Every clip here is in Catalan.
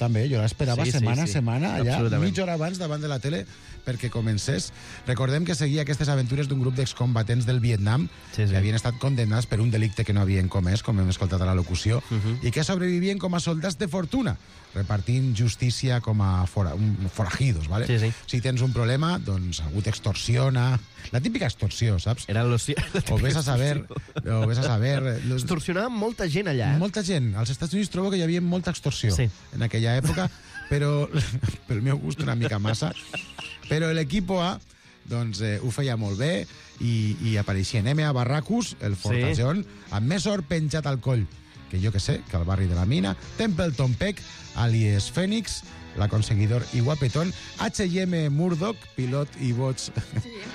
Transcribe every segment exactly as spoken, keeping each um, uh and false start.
també, jo l'esperava Sí, sí, setmana a sí. setmana, allà, Absolutament. mitja hora abans davant de la tele perquè comencés. Recordem que seguia aquestes aventures d'un grup d'excombatents del Vietnam Sí, sí. que havien estat condemnats per un delicte que no havien comès, com hem escoltat a la locució, Mhm. i que sobrevivien com a soldats de fortuna, repartint justícia com a fora, un, forajidos, ¿vale? Sí, sí. Si tens un problema, doncs algú t'extorsiona. La típica extorsió, saps? Era los... O ves a saber... O ves a saber... Los... Extorsionaven molta gent allà. Eh? Molta gent. Als Estats Units trobo que hi havia molta extorsió Sí. en aquella època, però pel meu gust una mica massa. Però l'equip A doncs, eh, ho feia molt bé i, i apareixien M A Barracus, el fortallón, sí. amb més or penjat al coll que jo que sé, que al barri de la Mina, Templeton Peck, alias Phoenix, l'aconseguidor i guapetón, H I M Murdoch, pilot i boig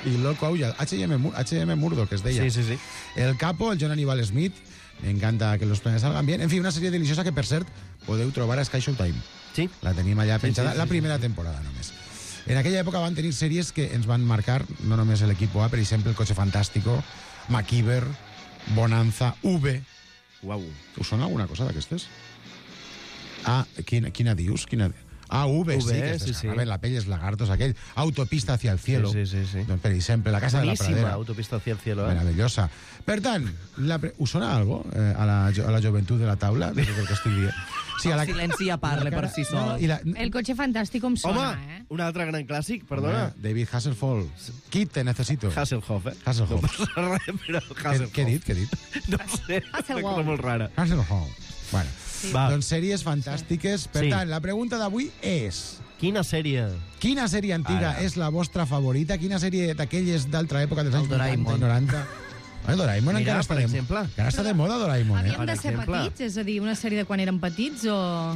i loco aulla, H I M, H I M Murdoch es deia. Sí, sí, sí. El capo, el John Aníbal Smith, me encanta que los planes salgan bien. En fi, una sèrie deliciosa que, per cert, podeu trobar a Sky Showtime. Sí. La tenim allà Sí, penjada, sí, sí, la sí. primera temporada només. En aquella època van tenir sèries que ens van marcar, no només l'equip A, per exemple, El Coche Fantástico, MacGyver, Bonanza, V. Uau. Us sona alguna cosa d'aquestes? Ah, quina, quina dius? Quina... Ah, V, V, sí, que es sí, descargaven sí. la pell, els lagartos, aquell. Autopista hacia el cielo. Sí, sí, sí, sí. Doncs, per exemple, La Casa Boníssima, de la Pradera. Autopista hacia el cielo. Eh? Meravellosa. Per tant, la pre... us sona algo eh, a, la, jo- a la joventut de la taula? De tot el que estic dient. Sí, El silenci ja parla la cara- per si no, sol. i la, El cotxe fantàstic em sona, Home, eh? un altre gran clàssic, perdona. Home, David Hasselhoff. Kit, te necesito. Hasselhoff, eh? Hasselhoff. No passa res, però Què, Hasselhoff. què he dit? Què he dit? No ho sé, Hasselhoff. una cosa molt rara. Hasselhoff. Bueno, Sí. Va. doncs sèries fantàstiques. Per Sí. tant, la pregunta d'avui és... Quina sèrie? Quina sèrie antiga Ara. és la vostra favorita? Quina sèrie d'aquelles d'altra època dels El anys vuitanta i Doraemon. noranta? El Doraemon Mira, encara està, per de, exemple. encara està de moda, Doraemon, eh? Havíem de ser exemple. petits? És a dir, una sèrie de quan érem petits o...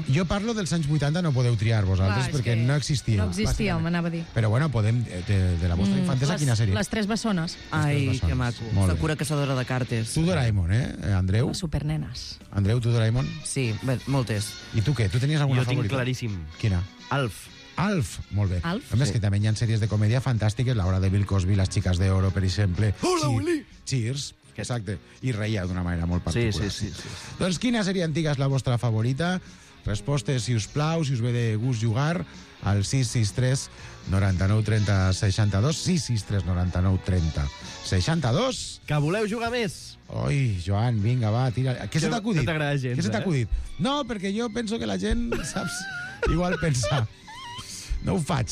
Jo parlo dels anys vuitanta, no podeu triar vosaltres, Clar, és perquè que no existia. No existia, bàsicament. m'anava a dir. Però bueno, podem, eh, de, de la vostra infantesa, les, quina sèrie? Les tres bessones. Ai, bessones. que maco. Molt bé. Sakura caçadora de cartes. Tu, Doraemon, eh, Andreu? Les supernenes. Andreu, tu, Doraemon? Sí, bé, moltes. I tu què? Tu tenies alguna Jo tinc favorita? claríssim. Quina? Alf. Alf, molt bé. Alf? A més, Sí. que també hi ha sèries de comèdia fantàstiques, La hora de Bill Cosby, Las chicas de oro, per exemple. Hola, Che- Willy! Cheers, exacte. I reia d'una manera molt Sí, particular. sí, sí, sí. Doncs quina sèrie antiga és la vostra favorita? Respostes, si us plau, si us ve de gust jugar, al sis sis tres noranta-nou trenta seixanta-dos, sis sis tres noranta-nou trenta seixanta-dos. Que voleu jugar més? Oi, Joan, vinga, va, tira. Què se Que t'ha acudit? no t'agrada gens, Què se t'ha eh? acudit? No, perquè jo penso que la gent, saps, igual pensa. No ho faig.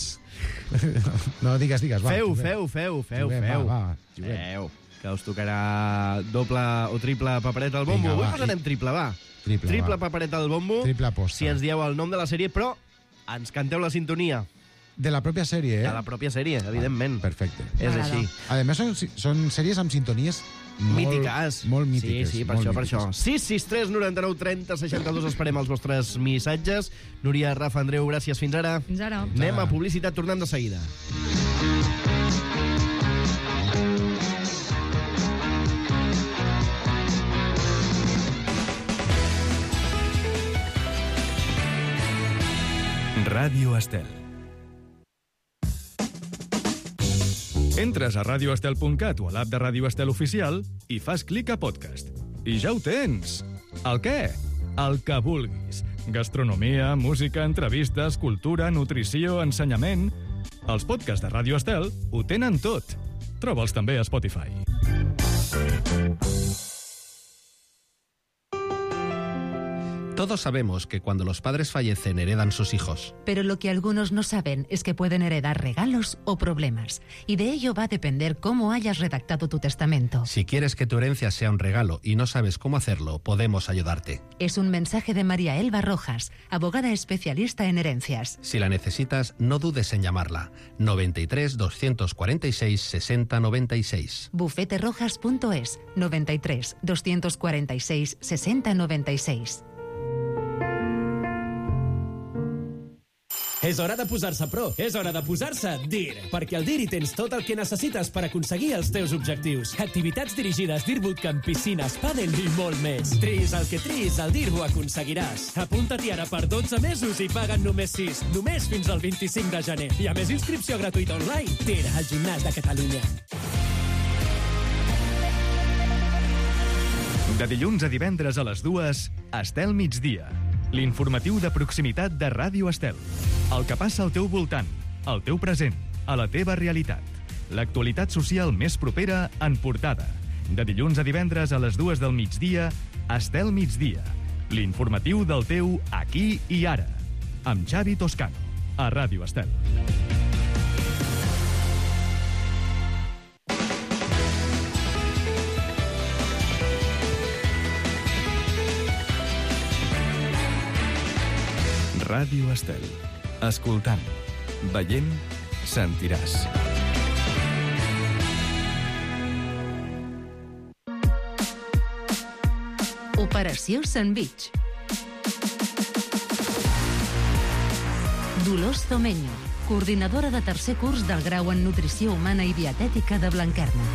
No, digues, digues, va. Feu, juguem. feu, feu, feu, Juguem, feu. va, va, juguem. Feu, que us tocarà doble o triple papereta al bombo. Vinga, Avui va. posarem triple, va. Triple, triple va. papereta al bombo. Triple aposta. Si ens dieu el nom de la sèrie, però ens canteu la sintonia De la pròpia sèrie, eh? de la pròpia sèrie, evidentment. Perfecte. És M'agrada. així. A més, són, són sèries amb sintonies molt, Mítiques. molt mítiques. Sí, sí, per molt això, per mítiques. això. sis sis tres noranta-nou trenta seixanta-dos esperem els vostres missatges. Núria, Rafa, Andreu, gràcies. Fins ara. Fins ara. Anem a publicitat, tornem de seguida. Ràdio Estel. Entres a radioestel punt cat o a l'app de Ràdio Estel Oficial i fas clic a podcast. I ja ho tens! El què? El que vulguis. Gastronomia, música, entrevistes, cultura, nutrició, ensenyament... Els podcasts de Ràdio Estel ho tenen tot. Troba'ls també a Spotify. Todos sabemos que cuando los padres fallecen heredan sus hijos. Pero lo que algunos no saben es que pueden heredar regalos o problemas. Y de ello va a depender cómo hayas redactado tu testamento. Si quieres que tu herencia sea un regalo y no sabes cómo hacerlo, podemos ayudarte. Es un mensaje de María Elba Rojas, abogada especialista en herencias. Si la necesitas, no dudes en llamarla. noventa y tres, doscientos cuarenta y seis, sesenta noventa y seis. bufete rojas punto es, noventa y tres, doscientos cuarenta y seis, sesenta noventa y seis. És hora de posar-se pro, és hora de posar-se DIR, perquè al DIR hi tens tot el que necessites per aconseguir els teus objectius. Activitats dirigides, DIR Bootcamp, piscines, pàdel i molt més. Tris el que tris, al DIR ho aconseguiràs. Apunta-t'hi ara per dotze mesos i paguen només sis, només fins al vint-i-cinc de gener. I a més inscripció gratuïta online. DIR, al gimnàs de Catalunya. De dilluns a divendres a les dues, Estel migdia. l'informatiu de proximitat de Ràdio Estel. El que passa al teu voltant, al teu present, a la teva realitat. L'actualitat social més propera en portada. De dilluns a divendres a les dues del migdia, Estel Migdia. L'informatiu del teu aquí i ara. Amb Xavi Toscano, a Ràdio Estel. Ràdio Estel. Escoltant, veient, sentiràs. Operació Sandwich. Dolors Tomeño, coordinadora de tercer curs del grau en Nutrició Humana i Dietètica de Blanquerna.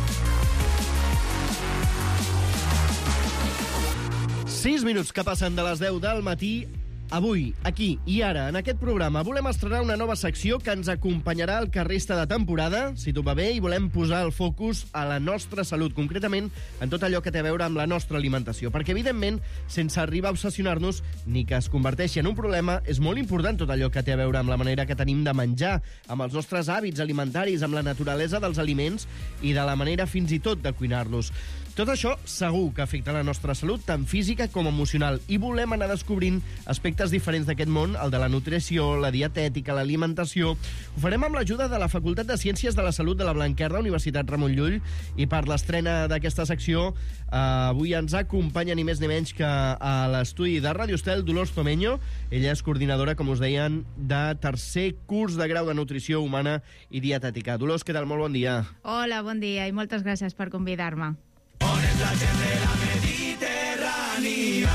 Sis minuts que passen de les deu del matí. Avui, aquí i ara, en aquest programa, volem estrenar una nova secció que ens acompanyarà al que resta de temporada, si tot va bé, i volem posar el focus a la nostra salut, concretament en tot allò que té a veure amb la nostra alimentació. Perquè, evidentment, sense arribar a obsessionar-nos ni que es converteixi en un problema, és molt important tot allò que té a veure amb la manera que tenim de menjar, amb els nostres hàbits alimentaris, amb la naturalesa dels aliments i de la manera fins i tot de cuinar-los. Tot això segur que afecta la nostra salut, tant física com emocional, i volem anar descobrint aspectes diferents d'aquest món, el de la nutrició, la dietètica, l'alimentació. Ho farem amb l'ajuda de la Facultat de Ciències de la Salut de la Blanquerna, Universitat Ramon Llull, i per l'estrena d'aquesta secció eh, avui ens acompanya ni més ni menys que a l'estudi de Ràdio Estel, Dolors Tomeño. Ella és coordinadora, com us deien, de tercer curs de grau de Nutrició Humana i Dietètica. Dolors, què tal? Molt bon dia. Hola, bon dia i moltes gràcies per convidar-me. On és la gent de la Mediterrània?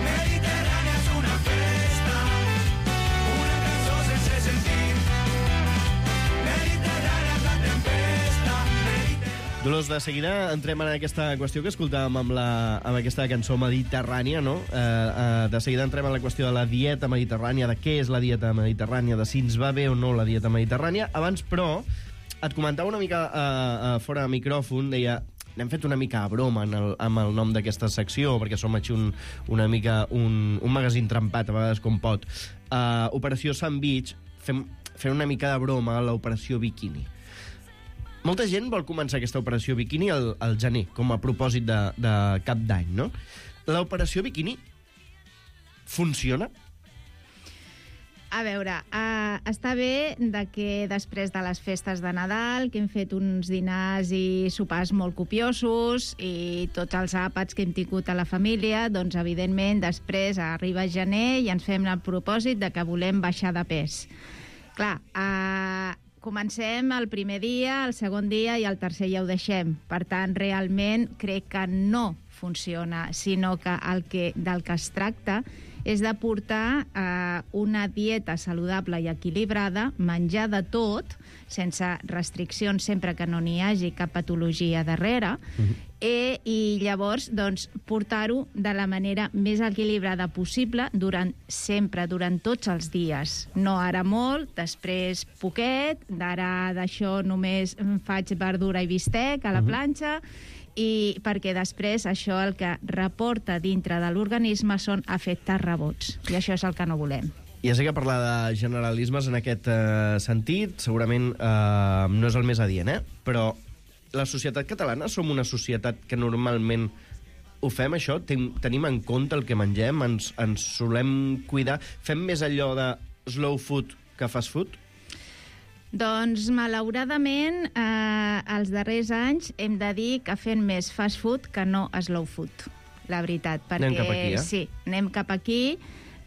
Mediterrània és una festa, una cançó sense sentit. Mediterrània és la tempesta. Dolors, de seguida entrem en aquesta qüestió que escoltàvem amb, la, amb aquesta cançó mediterrània, no? Eh, eh, de seguida entrem en la qüestió de la dieta mediterrània, de què és la dieta mediterrània, de si ens va bé o no la dieta mediterrània. Abans, però, et comentava una mica uh, uh, fora de micròfon, deia, n'hem fet una mica a broma en el, amb el nom d'aquesta secció, perquè som així un, una mica un, un magazín trempat, a vegades com pot. Uh, Operació Sandwich, fem, fem una mica de broma a l'Operació Bikini. Molta gent vol començar aquesta Operació Bikini al, al gener, com a propòsit de, de cap d'any, no? L'Operació Bikini funciona? A veure, uh, està bé de que després de les festes de Nadal, que hem fet uns dinars i sopars molt copiosos i tots els àpats que hem tingut a la família, doncs, evidentment, després arriba gener i ens fem el propòsit de que volem baixar de pes. Clar, uh, comencem el primer dia, el segon dia i el tercer ja ho deixem. Per tant, realment, crec que no funciona, sinó que el que del que es tracta és de portar eh, una dieta saludable i equilibrada, menjar de tot, sense restriccions sempre que no n'hi hagi cap patologia darrere, uh-huh. eh, i llavors doncs, portar-ho de la manera més equilibrada possible durant sempre, durant tots els dies. No ara molt, després poquet, d'ara d'això només faig verdura i bistec a la uh-huh. planxa, i perquè després això el que reporta dintre de l'organisme són efectes rebots, i això és el que no volem. Ja sé que parlar de generalismes en aquest eh, sentit segurament eh, no és el més adient, eh? Però la societat catalana som una societat que normalment ho fem, això? Ten tenim en compte el que mengem? Ens, ens solem cuidar? Fem més allò de slow food que fast food? Doncs, malauradament, eh, els darrers anys hem de dir que fem més fast food que no slow food, la veritat. Perquè, anem cap aquí, eh? Sí, anem cap aquí.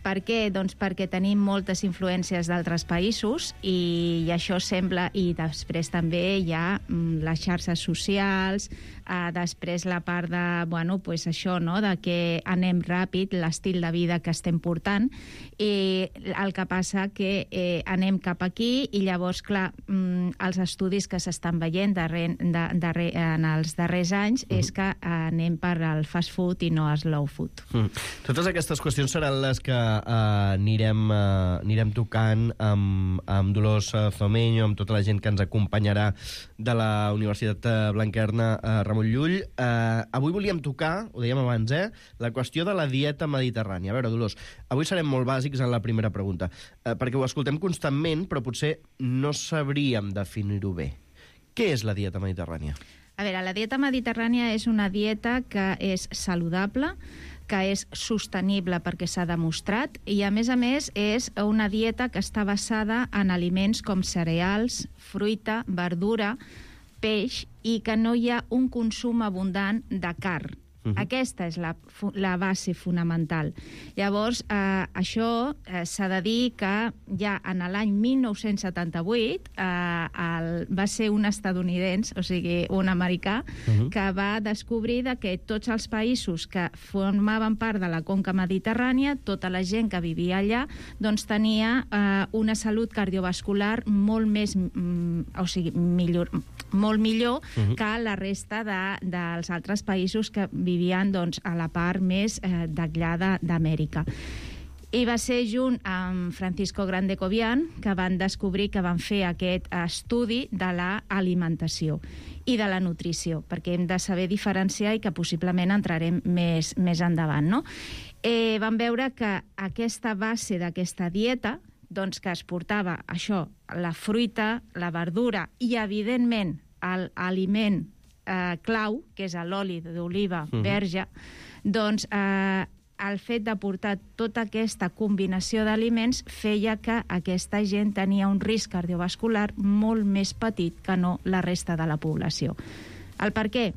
Per què? Doncs perquè tenim moltes influències d'altres països i, i això sembla... I després també hi ha mm, les xarxes socials, eh, després la part de, bueno, pues això, no?, de que anem ràpid, l'estil de vida que estem portant, i el que passa que eh, anem cap aquí i llavors, clar, mm, els estudis que s'estan veient darrer, de, darrer, en els darrers anys mm. és que anem per al fast food i no al slow food. Mm. Totes aquestes qüestions seran les que Uh, anirem, uh, anirem tocant amb, amb Dolors uh, Tomeño, amb tota la gent que ens acompanyarà de la Universitat uh, Blanquerna uh, Ramon Llull. Uh, avui volíem tocar, ho dèiem abans, eh, la qüestió de la dieta mediterrània. A veure, Dolors, avui serem molt bàsics en la primera pregunta, uh, perquè ho escoltem constantment, però potser no sabríem definir-ho bé. Què és la dieta mediterrània? A veure, la dieta mediterrània és una dieta que és saludable, que és sostenible perquè s'ha demostrat i, a més a més, és una dieta que està basada en aliments com cereals, fruita, verdura, peix i que no hi ha un consum abundant de carn. Uh-huh. Aquesta és la, la base fonamental. Llavors, eh, això eh, s'ha de dir que ja en l'any mil nou-cents setanta-vuit eh, el, va ser un estadounidense, o sigui, un americà, uh-huh. que va descobrir de que tots els països que formaven part de la conca mediterrània, tota la gent que vivia allà, doncs tenia eh, una salut cardiovascular molt més, mm, o sigui, millor, molt millor uh-huh. que la resta de, dels altres països que vivien doncs, a la part més eh, d'allà d'Amèrica. I va ser junt amb Francisco Grande Cobian que van descobrir, que van fer aquest estudi de l'alimentació i de la nutrició, perquè hem de saber diferenciar i que possiblement entrarem més, més endavant. No? Eh, van veure que aquesta base d'aquesta dieta, doncs que es portava això, la fruita, la verdura i, evidentment, l'aliment eh, clau, que és l'oli d'oliva uh-huh. verge, doncs eh, el fet de portar tota aquesta combinació d'aliments feia que aquesta gent tenia un risc cardiovascular molt més petit que no la resta de la població. El per què?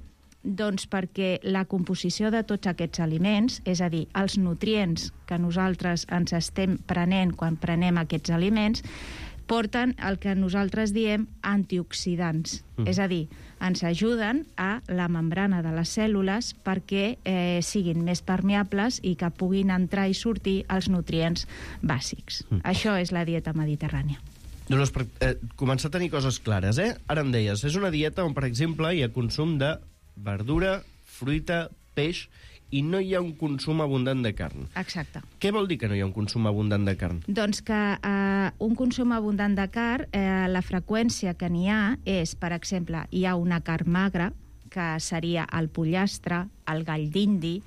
Doncs perquè la composició de tots aquests aliments, és a dir, els nutrients que nosaltres ens estem prenent quan prenem aquests aliments, porten el que nosaltres diem antioxidants. Mm. És a dir, ens ajuden a la membrana de les cèl·lules perquè eh, siguin més permeables i que puguin entrar i sortir els nutrients bàsics. Mm. Això és la dieta mediterrània. Dolors, per eh, començar a tenir coses clares, eh? Ara em deies, és una dieta on, per exemple, hi ha consum de verdura, fruita, peix, i no hi ha un consum abundant de carn. Exacte. Què vol dir que no hi ha un consum abundant de carn? Doncs que eh, un consum abundant de carn, eh, la freqüència que n'hi ha és, per exemple, hi ha una carn magra, que seria el pollastre, el gall d'indi,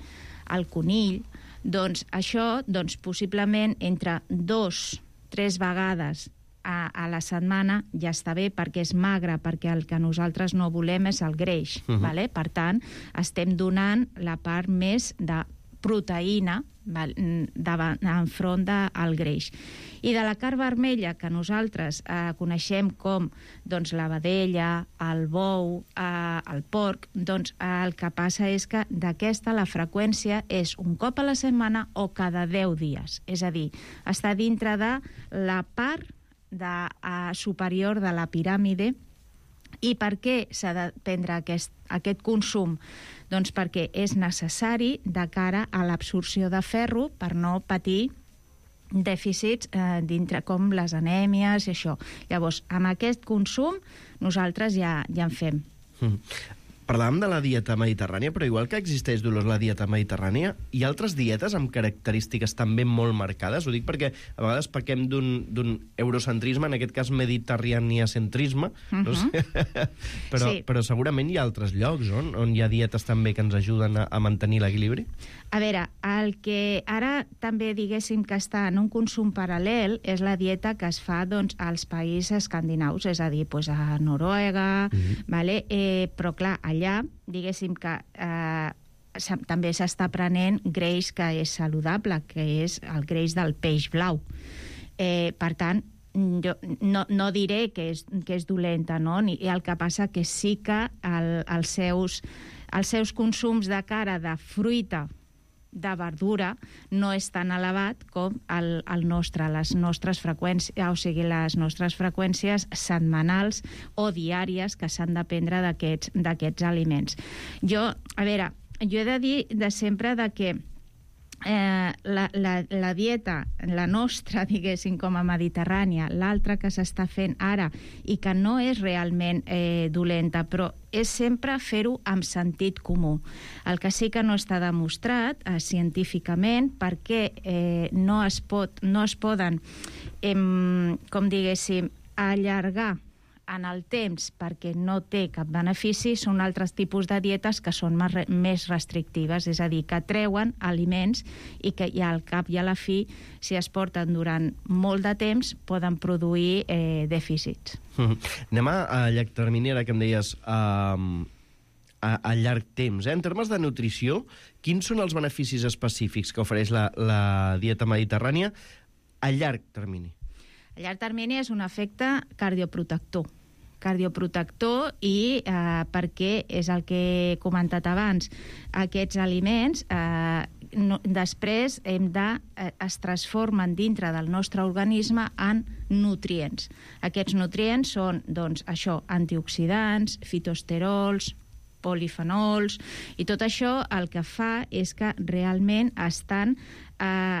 el conill. Doncs això, doncs, possiblement, entre dos, tres vegades A, a la setmana ja està bé perquè és magre, perquè el que nosaltres no volem és el greix. Uh-huh. Vale? Per tant, estem donant la part més de proteïna enfront del greix. I de la carn vermella, que nosaltres eh, coneixem com doncs, la vedella, el bou, eh, el porc, doncs eh, el que passa és que d'aquesta la freqüència és un cop a la setmana o cada deu dies. És a dir, està dintre de la part de, uh, superior de la piràmide. I per què s'ha de prendre aquest, aquest consum? Doncs perquè és necessari de cara a l'absorció de ferro per no patir dèficits eh, dintre com les anèmies i això. Llavors, amb aquest consum nosaltres ja, ja en fem. Mm. Parlàvem de la dieta mediterrània, però igual que existeix, Dolors, la dieta mediterrània, hi ha altres dietes amb característiques també molt marcades? Ho dic perquè a vegades pequem d'un eurocentrisme, en aquest cas mediterraniacentrisme, uh-huh. no sé. però, sí. però segurament hi ha altres llocs on, on hi ha dietes també que ens ajuden a, a mantenir l'equilibri? A veure, el que ara també diguéssim que està en un consum paral·lel és la dieta que es fa doncs, als països escandinaus, és a dir, doncs, a Noruega, uh-huh. vale? eh, però clar, allà, diguéssim que eh, també s'està prenent greix que és saludable, que és el greix del peix blau. Eh, per tant, jo no, no diré que és, que és dolenta, no? I el que passa que sí que el, els, seus, els seus consums de cara de fruita, de verdura, no és tan elevat com el, el nostre, les nostres freqüències, o sigui, les nostres freqüències setmanals o diàries que s'han de prendre d'aquests d'aquests aliments. Jo, a veure, jo he de dir de sempre de que Eh, la, la, la dieta, la nostra, diguéssim, com a mediterrània, l'altra que s'està fent ara i que no és realment eh, dolenta, però és sempre fer-ho amb sentit comú. El que sí que no està demostrat eh, científicament perquè eh, no, es pot, no es poden, eh, com diguéssim, allargar en el temps perquè no té cap benefici, són altres tipus de dietes que són més restrictives, és a dir, que treuen aliments i que i al cap i a la fi, si es porten durant molt de temps, poden produir eh, dèficits. Mm. Anem a, a llarg termini, ara que em deies... Uh, a, a llarg temps. Eh? En termes de nutrició, quins són els beneficis específics que ofereix la, la dieta mediterrània a llarg termini? A llarg termini és un efecte cardioprotector. Cardioprotector i eh, perquè és el que he comentat abans. Aquests aliments eh, no, després hem de, eh, es transformen dintre del nostre organisme en nutrients. Aquests nutrients són, doncs, això, antioxidants, fitoesterols, polifenols, i tot això el que fa és que realment estan eh,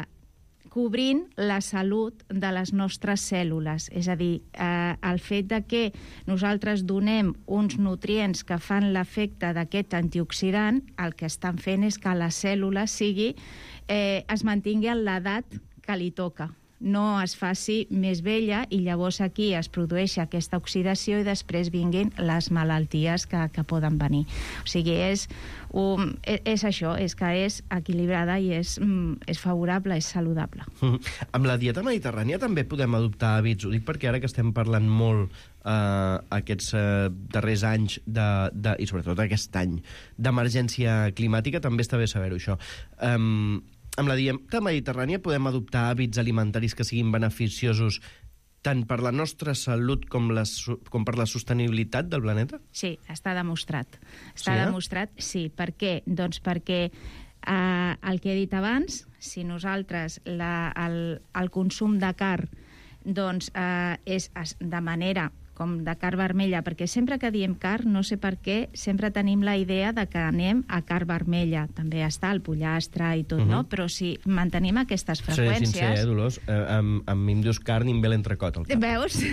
cobrint la salut de les nostres cèl·lules. És a dir, eh, el fet de que nosaltres donem uns nutrients que fan l'efecte d'aquest antioxidant, el que estan fent és que la cèl·lula sigui, eh, es mantingui en l'edat que li toca, no es faci més vella, i llavors aquí es produeix aquesta oxidació i després vinguin les malalties que, que poden venir. O sigui, és, um, és, és això, és que és equilibrada i és, um, és favorable, és saludable. Mm. Amb la dieta mediterrània també podem adoptar hàbits, ho dic perquè ara que estem parlant molt eh, aquests eh, darrers anys, de, de, i sobretot aquest any, d'emergència climàtica, també està bé saber-ho, això. Um, Amb la dieta mediterrània podem adoptar hàbits alimentaris que siguin beneficiosos tant per la nostra salut com, la, com per la sostenibilitat del planeta? Sí, està demostrat. Està sí, eh? demostrat, sí. Per què? Doncs perquè eh, el que he dit abans, si nosaltres la, el, el consum de carn doncs, eh, és de manera com de carn vermella, perquè sempre que diem carn, no sé per què, sempre tenim la idea de que anem a carn vermella. També està el pollastre i tot, uh -huh. no? Però si mantenim aquestes freqüències... Seré sincer, eh, Dolors? Eh, amb, amb mi em dius carn i em ve l'entrecot al cap. Veus? Sí,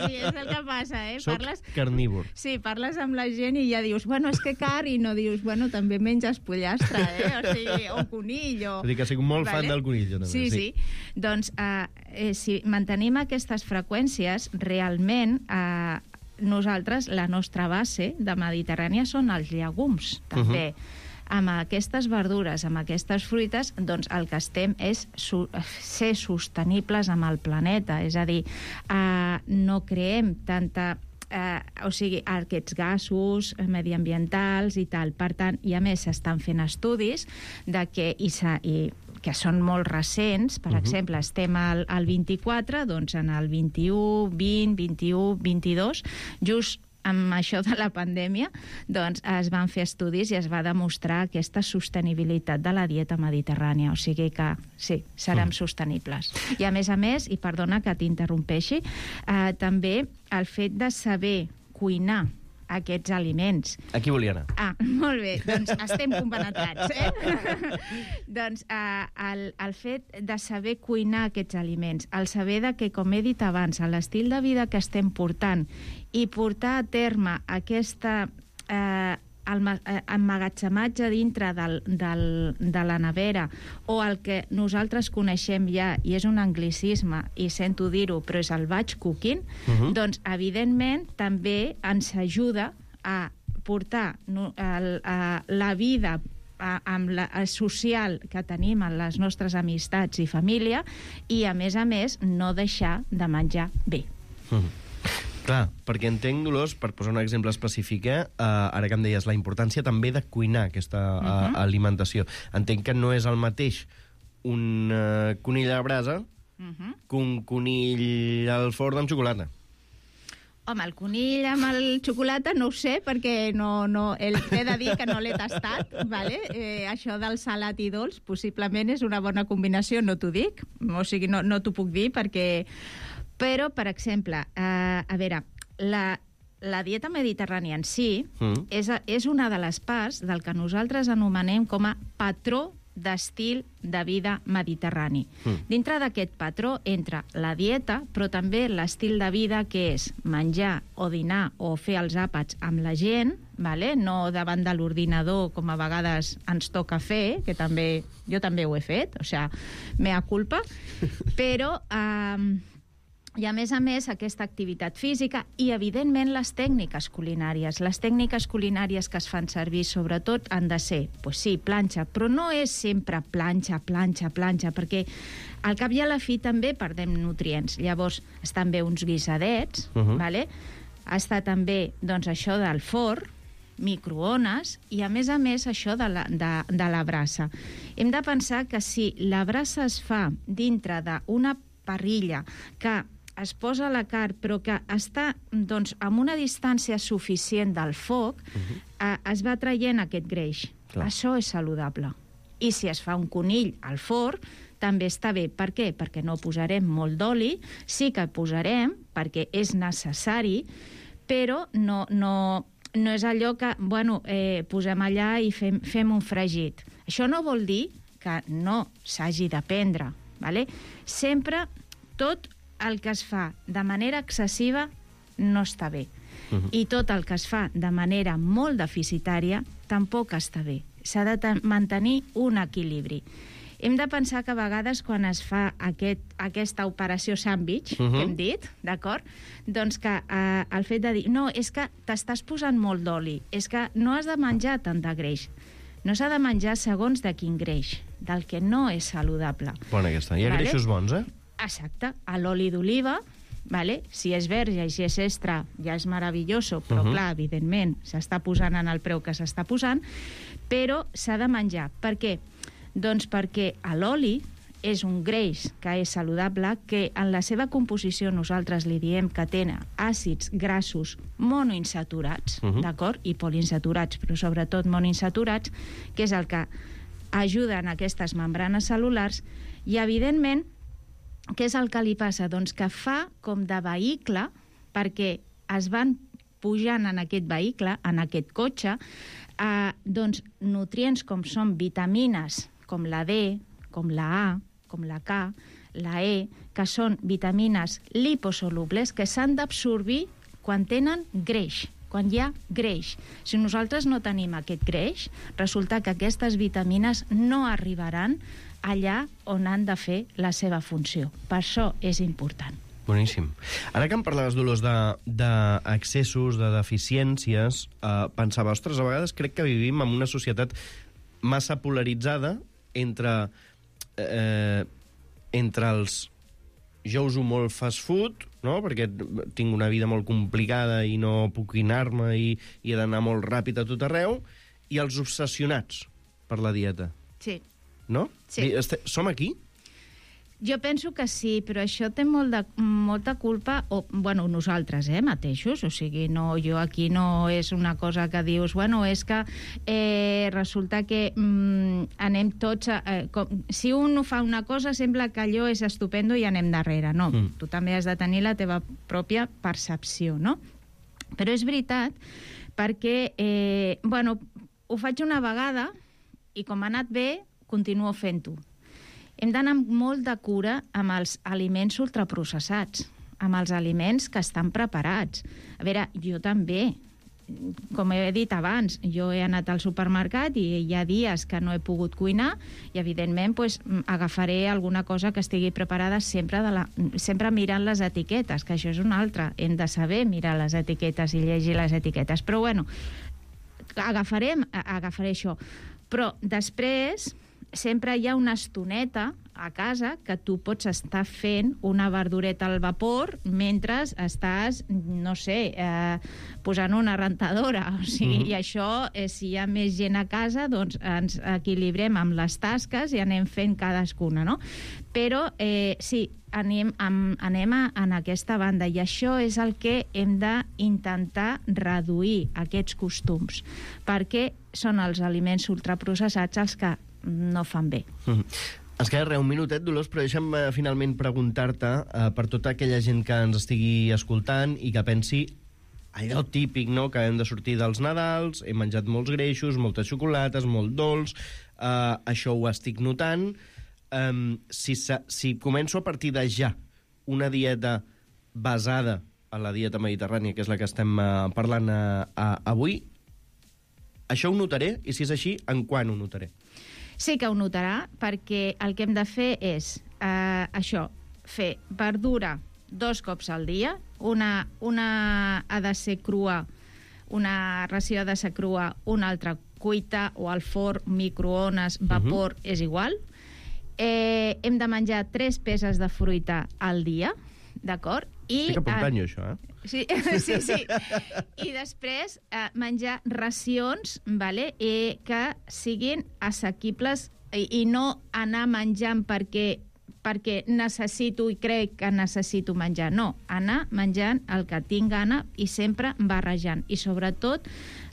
sí, és el que passa, eh? Soc parles... carnívor. Sí, parles amb la gent i ja dius, bueno, és que carn, i no dius, bueno, també menges pollastre, eh? O sigui, o conill, o... Vull dir que soc molt vale? fan del conill, jo també. Sí, sí. sí. Doncs, eh, eh, si mantenim aquestes freqüències, realment eh, nosaltres, la nostra base de Mediterrània són els llegums, també. Uh -huh. Amb aquestes verdures, amb aquestes fruites, doncs el que estem és su ser sostenibles amb el planeta, és a dir, eh, no creem tanta... Eh, o sigui, aquests gasos mediambientals i tal. Per tant, i a més s'estan fent estudis de que, i, i que són molt recents, per uh -huh. exemple, estem al, al vint-i-quatre, doncs en el vint-i-u, vint, vint-i-u, vint-i-dos, just amb això de la pandèmia, doncs es van fer estudis i es va demostrar aquesta sostenibilitat de la dieta mediterrània. O sigui que, sí, serem mm. sostenibles. I a més a més, i perdona que t'interrompeixi, eh, també el fet de saber cuinar aquests aliments. Aquí volia anar. Ah, molt bé, doncs estem compenetrats, eh? Doncs eh, el, el fet de saber cuinar aquests aliments, el saber de que, com he dit abans, l'estil de vida que estem portant i portar a terme aquesta eh, emmagatzematge dintre del, del, de la nevera, o el que nosaltres coneixem ja, i és un anglicisme, i sento dir-ho, però és el batch cooking, uh-huh. doncs, evidentment, també ens ajuda a portar no, el, a, la vida a, amb la, a social que tenim en les nostres amistats i família, i, a més a més, no deixar de menjar bé. Uh-huh. Clar, perquè entenc, Dolors, per posar un exemple específic, eh, ara que em deies la importància també de cuinar aquesta uh-huh. a, alimentació. Entenc que no és el mateix un uh, conill a la brasa uh-huh. que un conill al forn amb xocolata. Home, el conill amb el xocolata no ho sé, perquè no, no, el, he de dir que no l'he tastat, vale? eh, això del salat i dolç possiblement és una bona combinació, no t'ho dic, o sigui, no, no t'ho puc dir, perquè... Però, per exemple, eh, a veure, la, la dieta mediterrània en si mm. és, és una de les parts del que nosaltres anomenem com a patró d'estil de vida mediterrani. Mm. Dintre d'aquest patró entra la dieta, però també l'estil de vida, que és menjar o dinar o fer els àpats amb la gent, vale? No davant de l'ordinador, com a vegades ens toca fer, que també jo també ho he fet, o sigui, mea culpa, però... Eh, I, a més a més, aquesta activitat física i, evidentment, les tècniques culinàries. Les tècniques culinàries que es fan servir, sobretot, han de ser, pues sí, planxa, però no és sempre planxa, planxa, planxa, perquè al cap i a la fi també perdem nutrients. Llavors, estan bé uns guisadets, uh-huh. vale? Està també, doncs, això del forn, microones, i, a més a més, això de la, de, de la brasa. Hem de pensar que si la brasa es fa dintre d'una parrilla que es posa a la carn, però que està doncs, amb una distància suficient del foc, uh-huh. eh, es va traient aquest greix. Clar. Això és saludable. I si es fa un conill al forn, també està bé. Per què? Perquè no posarem molt d'oli, sí que posarem, perquè és necessari, però no, no, no és allò que, bueno, eh, posem allà i fem, fem un fregit. Això no vol dir que no s'hagi de prendre, vale? Sempre tot el que es fa de manera excessiva no està bé. Uh-huh. I tot el que es fa de manera molt deficitària tampoc està bé. S'ha de mantenir un equilibri. Hem de pensar que a vegades quan es fa aquest, aquesta operació sandwich, uh-huh. que hem dit, d'acord? Doncs que eh, el fet de dir, no, és que t'estàs posant molt d'oli, és que no has de menjar tant de greix. No s'ha de menjar segons de quin greix, del que no és saludable. Bona aquesta. Hi ha vale? greixos bons, eh? Exacte. A l'oli d'oliva, vale? Si és verge i si és extra, ja és meravelloso, però, uh-huh. clar, evidentment, s'està posant en el preu que s'està posant, però s'ha de menjar. Per què? Doncs perquè l'oli és un greix que és saludable, que en la seva composició nosaltres li diem que tenen àcids grassos monoinsaturats, uh-huh. d'acord? I poliinsaturats, però sobretot monoinsaturats, que és el que ajuden aquestes membranes cel·lulars, i, evidentment, què és el que li passa? Doncs que fa com de vehicle, perquè es van pujant en aquest vehicle, en aquest cotxe, eh, doncs, nutrients com són vitamines, com la D, com la A, com la K, la E, que són vitamines liposolubles que s'han d'absorbir quan tenen greix, quan hi ha greix. Si nosaltres no tenim aquest greix, resulta que aquestes vitamines no arribaran allà on han de fer la seva funció. Per això és important. Boníssim. Ara que em parlaves, Dolors, d'excessos, de, de deficiències, eh, pensava, ostres, a vegades crec que vivim en una societat massa polaritzada entre, eh, entre els jo uso molt fast food, no? Perquè tinc una vida molt complicada i no puc anar-me i, i he d'anar molt ràpid a tot arreu, i els obsessionats per la dieta. Sí. No? Sí. Som aquí? Jo penso que sí, però això té molt de, molta culpa, o, bueno, nosaltres, eh, mateixos, o sigui, no, jo aquí no és una cosa que dius, bueno, és que eh, resulta que mm, anem tots, a, eh, com, si un fa una cosa sembla que allò és estupendo i anem darrere, no, mm. tu també has de tenir la teva pròpia percepció, no? Però és veritat, perquè, eh, bueno, ho faig una vegada i com ha anat bé, continuo fent-ho. Hem d'anar amb molt de cura amb els aliments ultraprocessats, amb els aliments que estan preparats. A veure, jo també, com he dit abans, jo he anat al supermercat i hi ha dies que no he pogut cuinar i, evidentment, pues, agafaré alguna cosa que estigui preparada sempre, de la, sempre mirant les etiquetes, que això és una altra. Hem de saber mirar les etiquetes i llegir les etiquetes. Però, bueno, agafarem, agafaré això. Però després sempre hi ha una estoneta a casa que tu pots estar fent una verdureta al vapor mentre estàs, no sé, eh, posant una rentadora. O sigui, mm-hmm. I això, eh, si hi ha més gent a casa, doncs ens equilibrem amb les tasques i anem fent cadascuna, no? Però, eh, sí, anem, amb, anem a, en aquesta banda, i això és el que hem d'intentar reduir, aquests costums, perquè són els aliments ultraprocessats els que no fan bé. Mm. Ens queda res, un minutet, Dolors, però deixa'm eh, finalment preguntar-te eh, per tota aquella gent que ens estigui escoltant i que pensi allò típic, no?, que hem de sortir dels Nadals, he menjat molts greixos, moltes xocolates, molt dolç, eh, això ho estic notant. Eh, si, si començo a partir de ja una dieta basada en la dieta mediterrània, que és la que estem eh, parlant eh, avui, això ho notaré? I si és així, en quan ho notaré? Sí que ho notarà, perquè el que hem de fer és eh, això, fer verdura dos cops al dia. Una, una ha de ser crua, una ració ha de ser crua, una altra cuita o al forn, microones, vapor, uh-huh. és igual. Eh, hem de menjar tres peces de fruita al dia, d'acord? I, Estic apuntant eh, jo, això, eh? Sí, sí, sí. I després eh, menjar racions, vale? eh, que siguin assequibles i, i no anar menjant perquè perquè necessito i crec que necessito menjar. No, anar menjant el que tinc gana i sempre barrejant. I sobretot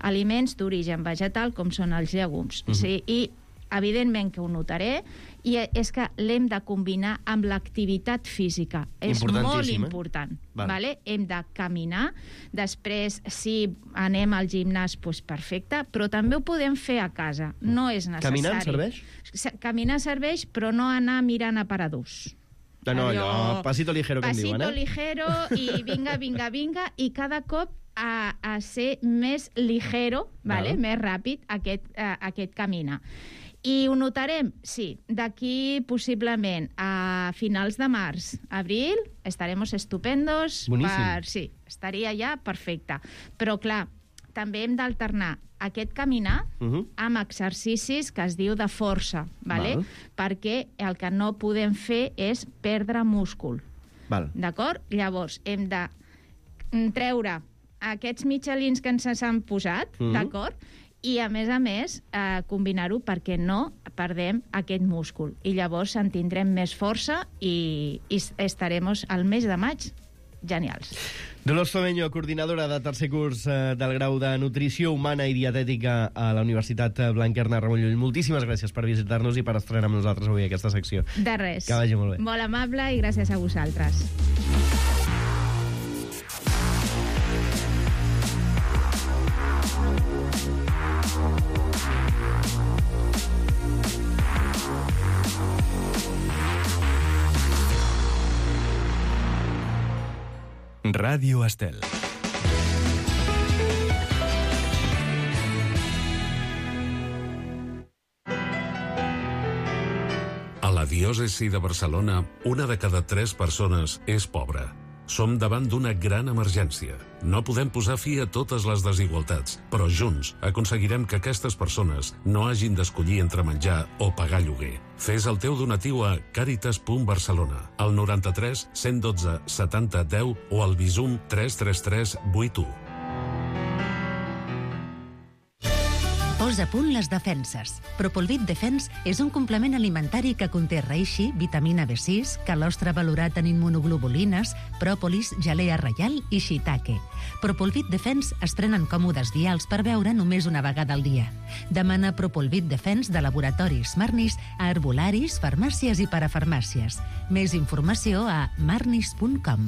aliments d'origen vegetal com són els llegums. Uh-huh. Sí, i evidentment que ho notaré, i és que l'hem de combinar amb l'activitat física. És molt important. Eh? Vale. Vale? Hem de caminar. Després, si anem al gimnàs, doncs perfecte, però també ho podem fer a casa. No és necessari. Caminant serveix? Caminar serveix, però no anar mirant aparadors. No, no, allò, pasito ligero, com diuen, eh? Pasito ligero i vinga, vinga, vinga, i cada cop a, a ser més ligero, vale? Vale. Més ràpid aquest, a, aquest caminar. I ho notarem? Sí. D'aquí, possiblement, a finals de març, abril, estaremos estupendos. Boníssim. Per, sí, estaria ja perfecte. Però, clar, també hem d'alternar aquest caminar uh-huh. amb exercicis que es diu de força, vale? Val. Perquè el que no podem fer és perdre múscul. Val. D'acord? Llavors, hem de treure aquests mitjalins que ens han posat, uh-huh. d'acord? I, a més a més, eh, combinar-ho perquè no perdem aquest múscul. I llavors en tindrem més força i, i estarem al mes de maig genials. Dolors Fomeño, coordinadora de tercer curs eh, del grau de Nutrició Humana i Dietètica a la Universitat Blanquerna Ramon Llull. Moltíssimes gràcies per visitar-nos i per estrenar amb nosaltres avui aquesta secció. De res. Que vagi molt bé. Molt amable i gràcies a vosaltres. Ràdio Estel. A la diòcesi de Barcelona, una de cada tres persones és pobra. Som davant d'una gran emergència. No podem posar fi a totes les desigualtats, però junts aconseguirem que aquestes persones no hagin d'escollir entre menjar o pagar lloguer. Fes el teu donatiu a caritas punt barcelona, al noranta-tres cent dotze setanta deu o al Bizum tres tres tres vuit u. Posa a punt les defenses. Propolvit Defense és un complement alimentari que conté reishi, vitamina B sis, calostre valorat en immunoglobulines, pròpolis, gelea reial i shiitake. Propolvit Defense es prenen còmodes vials per beure només una vegada al dia. Demana Propolvit Defense de laboratoris Marnis a herbolaris, farmàcies i parafarmàcies. Més informació a marnis punt com.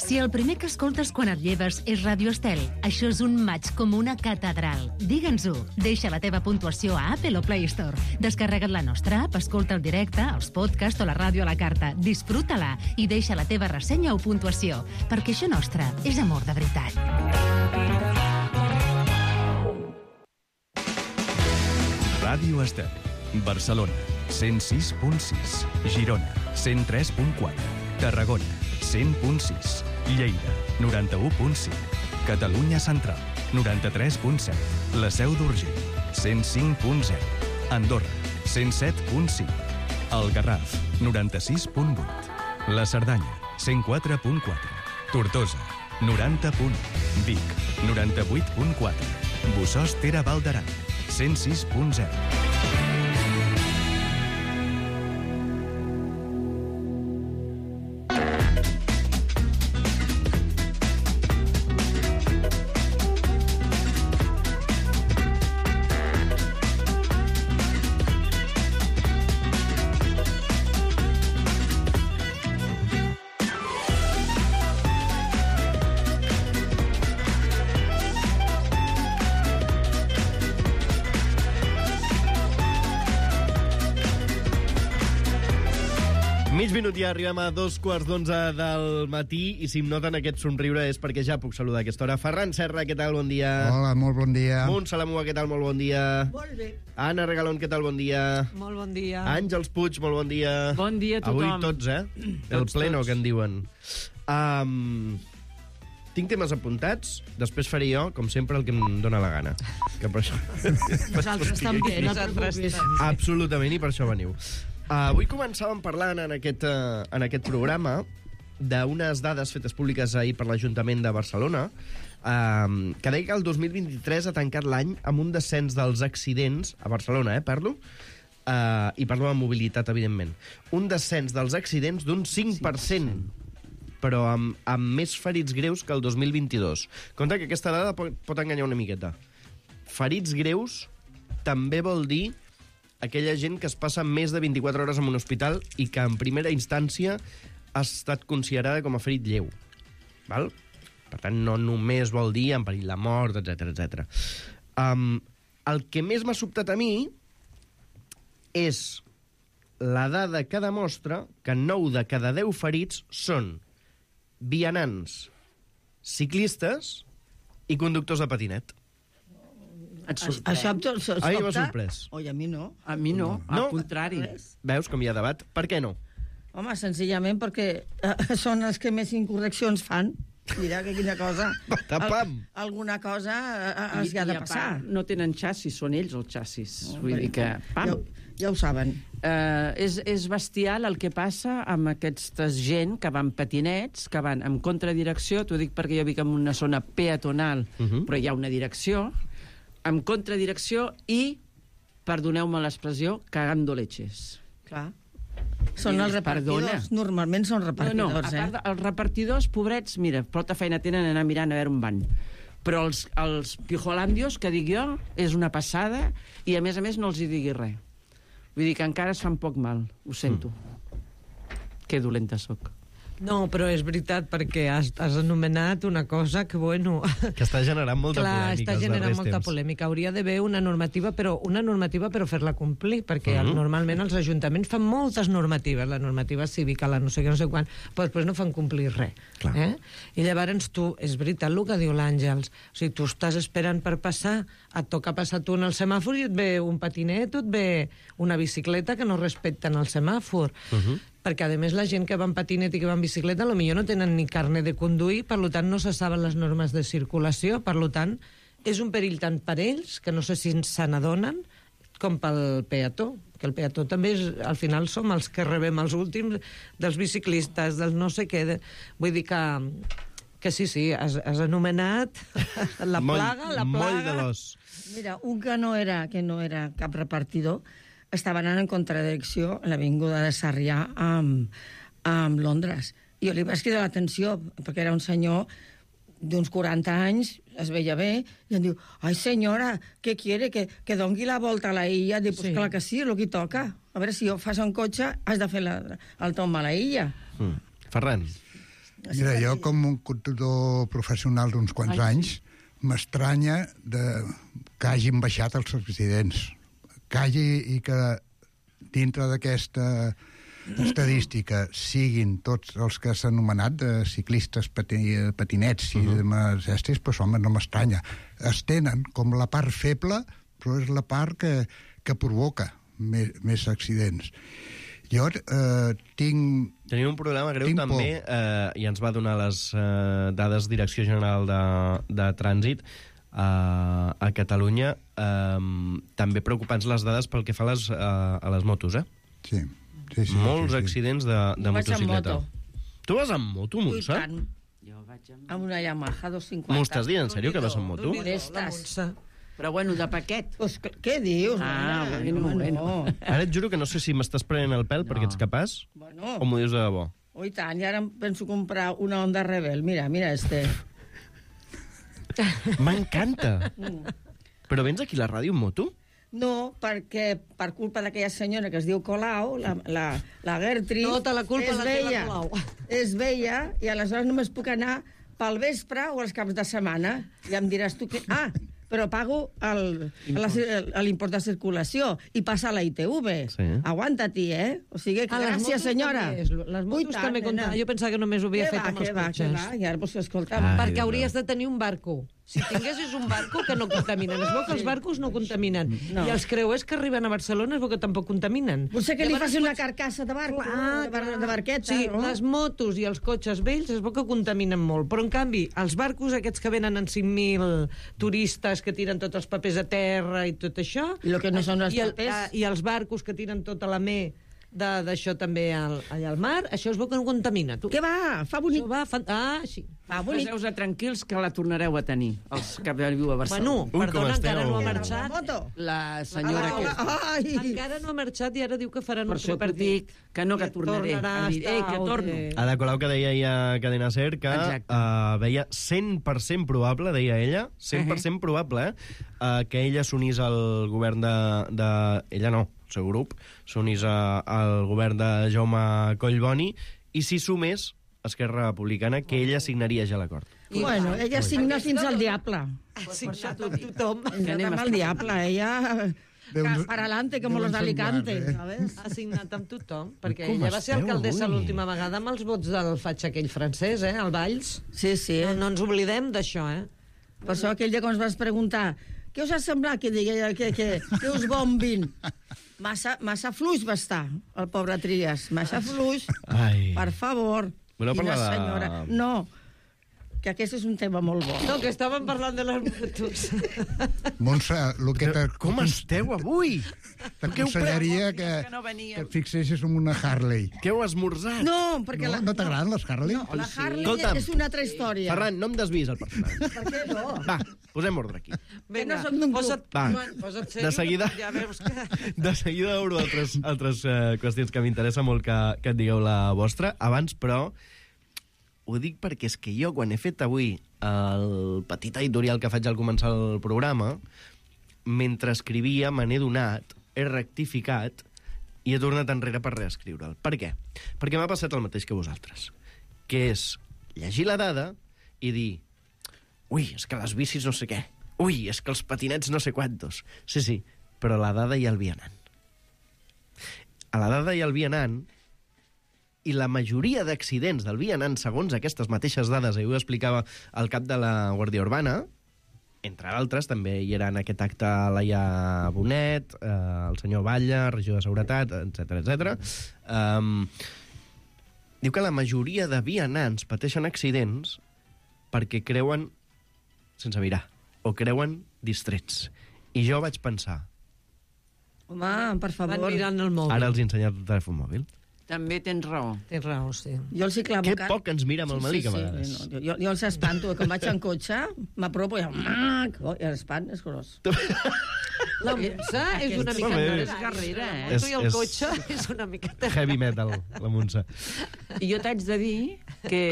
Si el primer que escoltes quan et lleves és Ràdio Estel, això és un maig com una catedral. Digue'ns-ho. Deixa la teva puntuació a Apple o Play Store. Descarrega't la nostra app, escolta el directe, els podcasts o la ràdio a la carta. Disfruta-la i deixa la teva ressenya o puntuació, perquè això nostre és amor de veritat. Ràdio Estel. Barcelona, cent sis punt sis. Girona, cent tres punt quatre. Tarragona, cent punt sis. Lleida, noranta-u punt cinc. Catalunya Central, noranta-tres punt set. La Seu d'Urgell, cent cinc punt zero. Andorra, cent set punt cinc. El Garraf, noranta-sis punt vuit. La Cerdanya, cent quatre punt quatre. Tortosa, noranta punt u. Vic, noranta-vuit punt quatre. Bossòst Ter Val d'Aran, cent sis punt zero. Mig minut ja arribem a dos quarts d'onze del matí i si em noten aquest somriure és perquè ja puc saludar a aquesta hora. Ferran Serra, què tal? Bon dia. Hola, molt bon dia. Montse Lamua, què tal? Molt bon dia. Molt bé. Anna Regalón, què tal? Bon dia. Molt bon dia. Àngels Puig, molt bon dia. Bon dia a tothom. Avui tots, eh? El Tots, pleno, tots. que en diuen. Um, tinc temes apuntats, després faré jo, com sempre, el que em dóna la gana. Que per això... Nosaltres també, no et preocupis. Absolutament, i per això veniu. Uh, avui començàvem parlant en aquest, uh, en aquest programa d'unes dades fetes públiques ahir per l'Ajuntament de Barcelona uh, que deia que el dos mil vint-i-tres ha tancat l'any amb un descens dels accidents a Barcelona, eh, parlo, uh, i parlo de mobilitat, evidentment. Un descens dels accidents d'un cinc per cent, però amb, amb més ferits greus que el dos mil vint-i-dos. Compte que aquesta dada pot, pot enganyar una miqueta. Ferits greus també vol dir aquella gent que es passa més de vint-i-quatre hores en un hospital i que en primera instància ha estat considerada com a ferit lleu. Val? Per tant, no només vol dir en perill de mort, etcètera, etcètera. Um, el que més m'ha sobtat a mi és la dada que demostra que nou de cada deu ferits són vianants, ciclistes i conductors de patinet. Et sorprèn? Això em tot sobta? A mi m'ha sorprès. Oi, a mi no. A mi no, No? al contrari. Veus com hi ha debat? Per què no? Home, senzillament perquè eh, són els que més incorreccions fan. Mira, que quina cosa. Tapam! Al, alguna cosa eh, els hi ha de passar. No tenen xassis, són ells els xassis. No, Vull dir que... Pam. Ja, ja ho saben. Uh, és, és bestial el que passa amb aquesta gent que van patinets, que van en contradirecció, t'ho dic perquè jo vic en una zona peatonal, uh -huh. però hi ha una direcció, en contradirecció i, perdoneu-me l'expressió, cagando leches. Clar. Són els repartidors. Perdona. Normalment són repartidors, no, no, a eh? part de, els repartidors, pobrets, mira, prou feina tenen anar mirant a veure on van. Però els, els pijolandios, que dic jo, és una passada, i a més a més no els hi digui res. Vull dir que encara es fan poc mal, ho sento. Mm. Que dolenta sóc. No, però és veritat, perquè has, has anomenat una cosa que, bueno... Que està generant molta Clar, polèmica està els generant darrers molta temps. polèmica. Hauria d'haver una normativa, però una normativa però fer-la complir, perquè Mhm. normalment els ajuntaments fan moltes normatives, la normativa cívica, la no sé què, no sé quan, però després no fan complir res. Eh? I llavors tu, és veritat el que diu l'Àngels, o sigui, tu estàs esperant per passar, et toca passar tu en el semàfor i et ve un patinet o et ve una bicicleta que no respecten el semàfor. Mhm. Perquè, a més, la gent que va en patinet i que va en bicicleta potser no tenen ni carnet de conduir, per tant, no se saben les normes de circulació, per tant, és un perill tant per ells, que no sé si se n'adonen, com pel peató, que el peató també, és, al final, som els que rebem els últims dels biciclistes, dels no sé què. De... Vull dir que, que sí, sí, has, has anomenat la plaga, la plaga... Moll de l'os. Mira, un que no era, que no era cap repartidor estava anant en contradirecció a l'avinguda de Sarrià amb, amb Londres. I jo li vaig cridar l'atenció, perquè era un senyor d'uns quaranta anys, es veia bé, i em diu, ai, senyora, què quiere? Que, que dongui la volta a la illa? Diu, pues sí. Clar que sí, és el que toca. A veure, si jo fas un cotxe, has de fer la, el tomb a la illa. Mm. Ferran. Mira, jo com un conductor professional d'uns quants Ai, anys, m'estranya de... que hagin baixat els accidents. Que hagi i que dintre d'aquesta estadística siguin tots els que s'han anomenat de ciclistes, pati, patinets i uh -huh. de estis, però home, no m'estranya. Es tenen com la part feble, però és la part que, que provoca més, més accidents. Jo eh, tinc... Tenim un problema greu tinc també, eh, i ens va donar les eh, dades Direcció General de, de Trànsit, a, a Catalunya, eh, també preocupants les dades pel que fa a les, a, a les motos, eh? Sí. Sí, sí, Molts sí, sí. accidents de, de Jo vaig amb motocicleta. moto. Tu vas amb moto, I Montse? tant. Jo vaig amb... Amb una Yamaha dos cinquanta. M'ho estàs dient, en sèrio, que vas amb moto? Molestes. Però bueno, de paquet. Pues, què dius? Ah, nena? bueno, No, bueno. no. Ara et juro que no sé si m'estàs prenent el pèl perquè ets capaç Bueno. o m'ho dius de debò. Oh, i tant, i ara em penso comprar una Honda Rebel. Mira, mira este. M'encanta! Però vens aquí a la ràdio amb moto? No, perquè per culpa d'aquella senyora que es diu Colau, la, la, la Gertrude... Tota la culpa és la té la vella, Colau. És vella, i aleshores només puc anar pel vespre o els caps de setmana. I em diràs tu que... Ah, però pago el- la- el- l'import de circulació i passa a la I T V. Sí. Aguanta-t'hi, eh? O sigui, que Ah, les gràcies, motos senyora. també és- les motos Ui, tant, també compten. nena. Jo pensava que només ho havia Què fet va, amb els què va, cotxes. què va? I ara, doncs, escolta... Ai, Perquè Déu hauries meu. de tenir un barco. Si tinguessis un barco que no contaminen. Es veu que els barcos no contaminen. No. I els creuers que arriben a Barcelona es veu que tampoc contaminen. Potser que li Llavors faci una pots- carcassa de barco, Ah, de, bar de barqueta. Sí, no? les motos i els cotxes vells es veu que contaminen molt, però en canvi els barcos aquests que venen en cinc mil turistes que tiren tots els papers a terra i tot això... I lo que no són els i el, papers. ah, I els barcos que tiren tota la me de- d'això també al, allà al mar, això es veu que no contamina. Tu. Què va? Fa bonic. Això va, fan... Ah, sí. Fa bonic. Poseu-vos tranquils que la tornareu a tenir, els que viu a Barcelona. Bueno, perdona, encara no ha marxat. Moto. La senyora Ah, aquesta. Ai! Encara no ha marxat i ara diu que faran Per un això t'ho tripartit. dic, que no, que tornaré. tornarà Ha dit, a ei, estar que o torno. que- Ada Colau, que deia ella a Cadena Ser que Exacte. uh, veia cent per cent probable, deia ella, cent per cent probable, uh, que ella s'unís al govern de, de... Ella no, el seu grup, s'unís a- al govern de Jaume Collboni, i si sumés Esquerra Republicana, que ella signaria ja l'acord. Bueno, ella signa fins al diable. Ha signat a tothom. Que anem al diable, ella... Déu- Para adelante, como Déu los de Alicante, ensemblar, eh? ¿sabes? Ha signat amb tothom, perquè Com ella va ser esteu alcaldessa avui? l'última vegada amb els vots del faig aquell francès, eh, al Valls. Sí, sí. No, no ens oblidem d'això, eh? Per això aquell dia quan ens vas preguntar què us ha semblat que, digui, que, que, que us bombin? Massa, massa fluix va estar, el pobre Trias. Massa fluix. Ai. Per favor. Voleu Quina parlar de- senyora. No, que aquest és un tema molt bo. No, que estàvem parlant de les motos. Montse, el que te, Com esteu avui? t'aconsellaria que, Que no veníeu. que et fixessis en una Harley. Què heu esmorzat? No, perquè No, la, no t'agraden les Harley? no, la Harley Escolta'm. és una altra història. Ferran, no em desvis el personatge. Per què no? Va, posem ordre aquí. no som d'un grup. posa't, Va. Joan, posa't De sèrio, seguida, ja veus que... de seguida obro altres, altres uh, qüestions que m'interessa molt que, que et digueu la vostra. Abans, però, ho dic perquè és que jo, quan he fet avui el petit editorial que faig al començar el programa, mentre escrivia me n'he donat, he rectificat i he tornat enrere per reescriure'l. Per què? Perquè m'ha passat el mateix que vosaltres, que és llegir la dada i dir ui, és que les bicis no sé què, ui, és que els patinets no sé quantos. Sí, sí, però la dada ja el vianant. A la dada ja el vianant, i la majoria d'accidents del vianant, segons aquestes mateixes dades, i ho explicava el cap de la Guàrdia Urbana, entre altres, també hi era en aquest acte Laia Bonet, eh, el senyor Batlle, regidor de Seguretat, etcètera, etcètera. Um, diu que la majoria de vianants pateixen accidents perquè creuen sense mirar, o creuen distrets. I jo vaig pensar, Home, per favor. Van mirant el mòbil. ara els he ensenyat el telèfon mòbil. També tens raó. Tens raó, sí. Jo els hi clavo... Que car- poc ens mira amb el melic, a vegades. Sí, no, jo, jo els espanto. Quan vaig en cotxe, m'apropo i... Mac! Oh, i l'espant és gros. La Montse és una mica... Molt bé. És guerrera, eh? La moto i el És- cotxe és una miqueta... Heavy metal, la Montse. I jo t'haig de dir que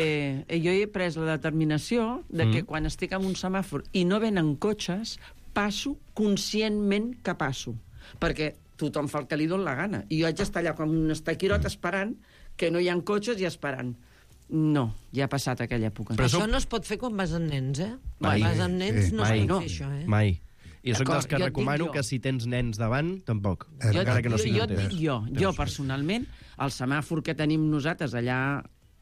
jo he pres la determinació de que Mm. quan estic en un semàfor i no venen cotxes, passo conscientment que passo. Perquè tothom fa el que li dona la gana. I jo haig d'estar allà com un estaquirot esperant que no hi ha cotxes i esperant. No, ja ha passat aquella època. Però això no es pot fer quan vas amb nens, eh? Mai. Quan vas amb nens no es mai, pot fer això, eh? mai. I jo soc D'acord, dels que jo et dic recomano jo. que si tens nens davant, tampoc. Jo, Encara que no jo, siguin jo et teus. dic jo, jo personalment, el semàfor que tenim nosaltres allà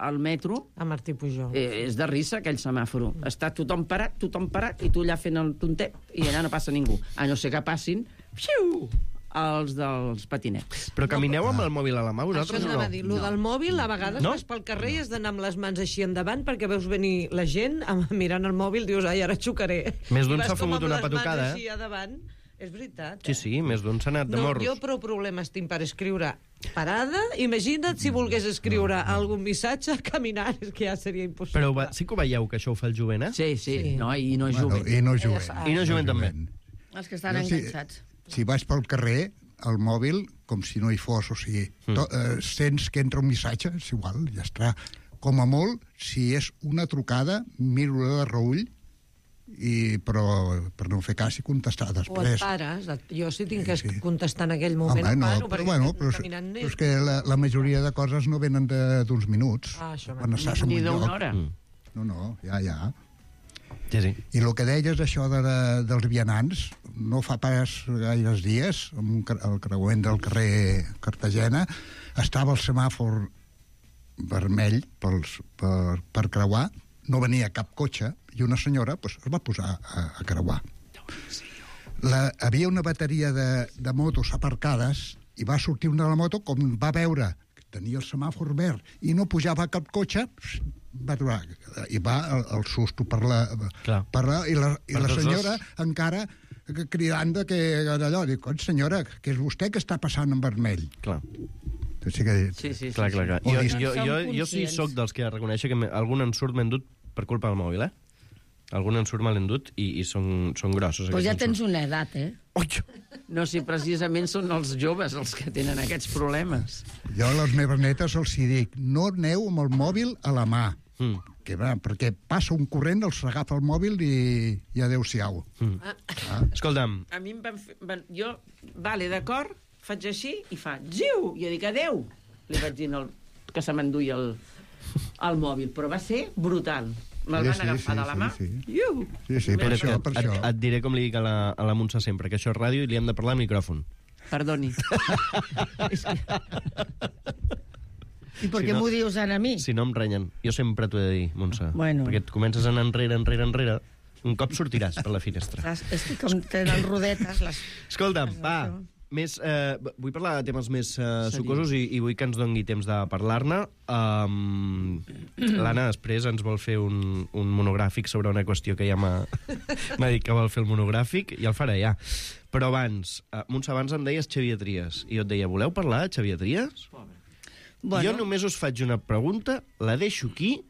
al metro... A Martí Pujol. Eh, és de risa, aquell semàforo. Està tothom parat, tothom parat, i tu allà fent el tontet, i allà no passa ningú. A no ser que passin... Fiu! Els dels patinets. Però camineu amb el mòbil a la mà, Això vosaltres o anava no? a dir. Lo del mòbil, a vegades No? vas pel carrer i has d'anar amb les mans així endavant perquè veus venir la gent amb, mirant el mòbil, dius, ai, ara xocaré. Més d'un I vas s'ha com fumut amb una les mans patucada, eh? així a davant. És veritat. Sí, sí, més d'un s'ha anat de No, morros. jo prou problemes tinc per escriure parada. Imagina't si volgués escriure algun missatge caminant, és que ja seria impossible. Però va, sí que ho veieu, que això ho fa el jovent, eh? Sí, sí, Sí. no, i no Bueno, juguen. I no jovent. I no jovent també. Els que estan Jo sí- enganxats. Si vas pel carrer, el mòbil, com si no hi fos, o sigui, to, eh, sents que entra un missatge, és igual, ja està. Com a molt, si és una trucada, miro-la de reull, i, però per no fer cas i contestar O et després. pares. Jo sí tinc que Sí, sí. contestar en aquell moment. Home, no, paro, però, perquè bueno, estic però, és, caminant però net. és que la, la majoria de coses no venen de- d'uns minuts. Ah, això quan va. estàs en Ni un d'una lloc. hora. Mm. No, no, ja, ja. Sí, sí. I el que deies, això de, de, dels vianants, no fa pas gaires dies, al creuament del carrer Cartagena, estava el semàfor vermell pels, per, per creuar, no venia cap cotxe, i una senyora pues, es va posar a, a creuar. La, havia una bateria de, de motos aparcades i va sortir una de la moto, com va veure que tenia el semàfor verd i no pujava cap cotxe, va aturar, i va el, el susto per la, per la, i la, i per la tots senyora dos. encara cridant de que allò, dic, oh, senyora, que és vostè que està passant en vermell. Clar. Sí, que... Sí, sí, sí. Clar, clar, clar. O Jo, dis- jo, jo, jo sí sóc dels que reconeixo que me- algun ensurt m'he endut per culpa del mòbil, eh? Algun ensurt me l'he endut i, i són, són grossos. Pues ja aquests tens ensurts. una edat, eh? No, si precisament són els joves els que tenen aquests problemes. Jo a les meves netes els hi dic, no aneu amb el mòbil a la mà, mm. que va, perquè passa un corrent, els agafa el mòbil i, i adéu-siau. Mm. Ah. Escolta'm, A mi em van fer... Van, jo, vale, d'acord, faig així i fa, ziu, i jo dic adeu. Li vaig dir el, que se m'enduia el, el mòbil, però va ser brutal. Me'l Sí, van sí, agafar sí, de la sí, mà. sí. Iu! Sí, sí, per espera't, això, que per et, això. et diré com li dic a la, a la Montse sempre, que això és ràdio i li hem de parlar al micròfon. Perdoni. I per què m'ho dius ara a mi? Si no em renyen. Jo sempre t'ho he de dir, Montse. Bueno. Perquè et comences a anar enrere, enrere, enrere. Un cop sortiràs per la finestra. Saps? És que com tenen rodetes... Les... Escolta'm, va, més, eh, vull parlar de temes més eh, sucosos i, i vull que ens doni temps de parlar-ne. Um, L'Anna després ens vol fer un, un monogràfic sobre una qüestió que ja m'ha m'ha dit que vol fer el monogràfic, i el farà ja. Però abans, uh, Montse, abans em deies Xavier Trias, i jo et deia, voleu parlar de Xavier Trias? Bueno. Jo només us faig una pregunta, la deixo aquí,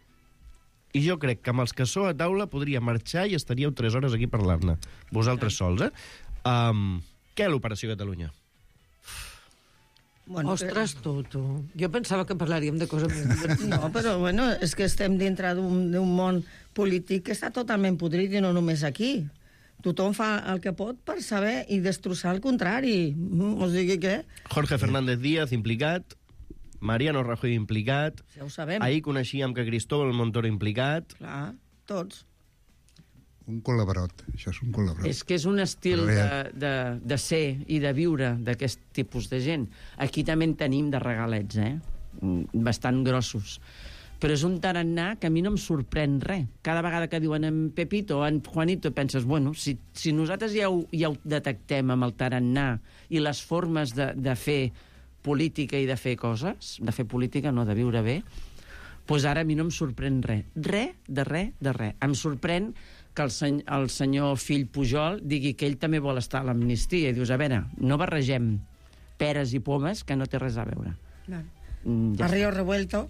i jo crec que amb els que sou a taula podria marxar i estaríeu tres hores aquí parlant-ne. Vosaltres sols, eh? Um, què l'Operació Catalunya? Bueno, Ostres, tu, tu. Jo pensava que parlaríem de coses més divertides. No, però bueno, és que estem dintre d'un d'un món polític que està totalment podrit i no només aquí. Tothom fa el que pot per saber i destrossar el contrari. Mm, O sigui que... Jorge Fernández Díaz implicat, Mariano Rajoy implicat, Ja ho sabem. ahir coneixíem que Cristóbal Montoro implicat. Clar, tots. Un col·laborat, això és un col·laborat. És que és un estil de, de, de ser i de viure d'aquest tipus de gent. Aquí també en tenim de regalets, eh? Mm, bastant grossos. Però és un tarannà que a mi no em sorprèn res. Cada vegada que diuen en Pepito o en Juanito penses, bueno, si, si nosaltres ja ho, ja ho detectem amb el tarannà i les formes de, de fer política i de fer coses, de fer política, no de viure bé, doncs ara a mi no em sorprèn res. Res, de res, de res. Em sorprèn que el, seny el senyor fill Pujol digui que ell també vol estar a l'amnistia. I dius, a veure, no barregem peres i pomes, que no té res a veure. No. Mm, Ja Río revuelto.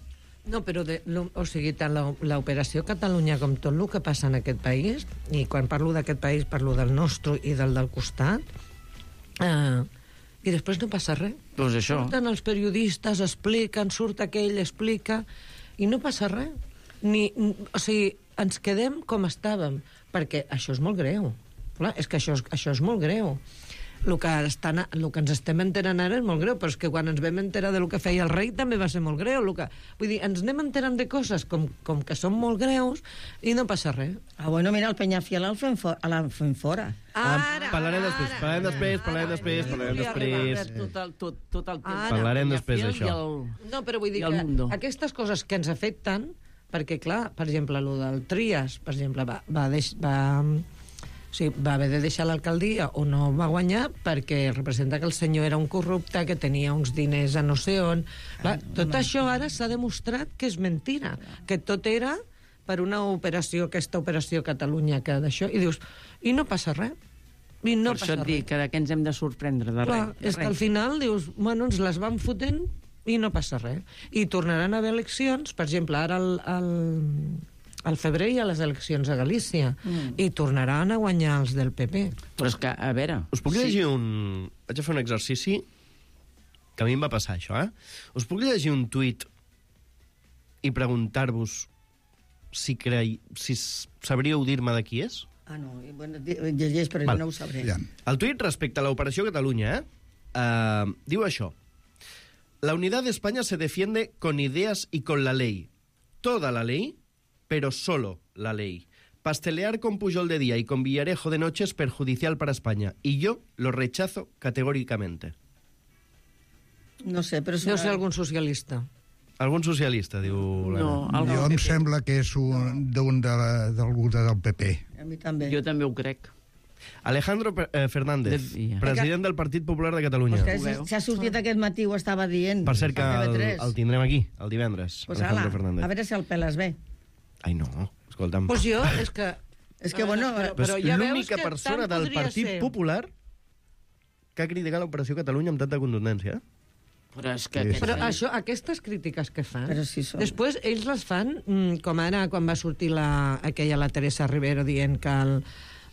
No, però de, lo, o sigui, tant la- l'operació Catalunya com tot el que passa en aquest país, i quan parlo d'aquest país parlo del nostre i del del costat, eh, i després no passa res. Doncs això. Surten els periodistes, expliquen, surt aquell, explica, i no passa res. Ni, o sigui, ens quedem com estàvem, perquè això és molt greu. Clar, és que això és, això és molt greu. El que, estan, el que ens estem enterant ara és molt greu, però és que quan ens vam enterar del que feia el rei també va ser molt greu. El que, vull dir, ens anem enterant de coses com, com que són molt greus i no passa res. Ah, bueno, mira, el Peñafiel el fem, for, l'han fem fora. Ara, parlarem després, parlarem després, parlarem després, parlarem després. Tot el, tot, tot el temps. Ara. Parlarem després I d'això. el- No, però vull dir I el que mundo. aquestes coses que ens afecten, perquè, clar, per exemple, el del Trias, per exemple, va, va, deix, va, o sigui, va haver de deixar l'alcaldia o no va guanyar perquè representa que el senyor era un corrupte, que tenia uns diners a no sé on. Clar, tot això ara s'ha demostrat que és mentira, que tot era per una operació, aquesta operació Catalunya, que d'això, i dius, i no passa res. I no per passa això et res. dic que de què ens hem de sorprendre, de Clar, res. de és que res. al final dius, bueno, ens les van fotent i no passa res. I tornaran a haver eleccions, per exemple, ara al, al, al febrer hi ha les eleccions a Galícia, Mm. i tornaran a guanyar els del P P. Però és que, a veure... Us puc llegir un... Vaig a fer un exercici que a mi em va passar, això, eh? Us puc llegir un tuit i preguntar-vos si, crei... si s- sabríeu dir-me de qui és? Ah, no, i bueno, di- llegeix, però Val. no ho sabré. Ja. El tuit respecte a l'Operació Catalunya, eh? Uh, diu això. La unidad de España se defiende con ideas y con la ley. Toda la ley, pero solo la ley. Pastelear con Pujol de día y con Villarejo de noche es perjudicial para España. Y yo lo rechazo categóricamente. No sé, però... Deu ser algun socialista. Algun socialista, diu l'Anna. No, jo em sembla que és un, d'un de, d'algú de, del P P. A mi també. Jo també ho crec. Alejandro eh, Fernández, De... president del Partit Popular de Catalunya. Pues que s'ha sortit aquest matí, ho estava dient. Per cert que el, el tindrem aquí, el divendres. Pues Alejandro ala, Fernández. a veure si el peles bé. Ai, no, escolta'm. Pues jo, és que... És que, bueno... Però, Però però ja veus l'única que persona tant del podria Partit ser. Popular que ha criticat l'Operació Catalunya amb tanta contundència. Però és que... Sí, sí. Però això, aquestes crítiques que fan, Però sí són. després ells les fan, mm, com ara quan va sortir la, aquella, la Teresa Rivero, dient que el,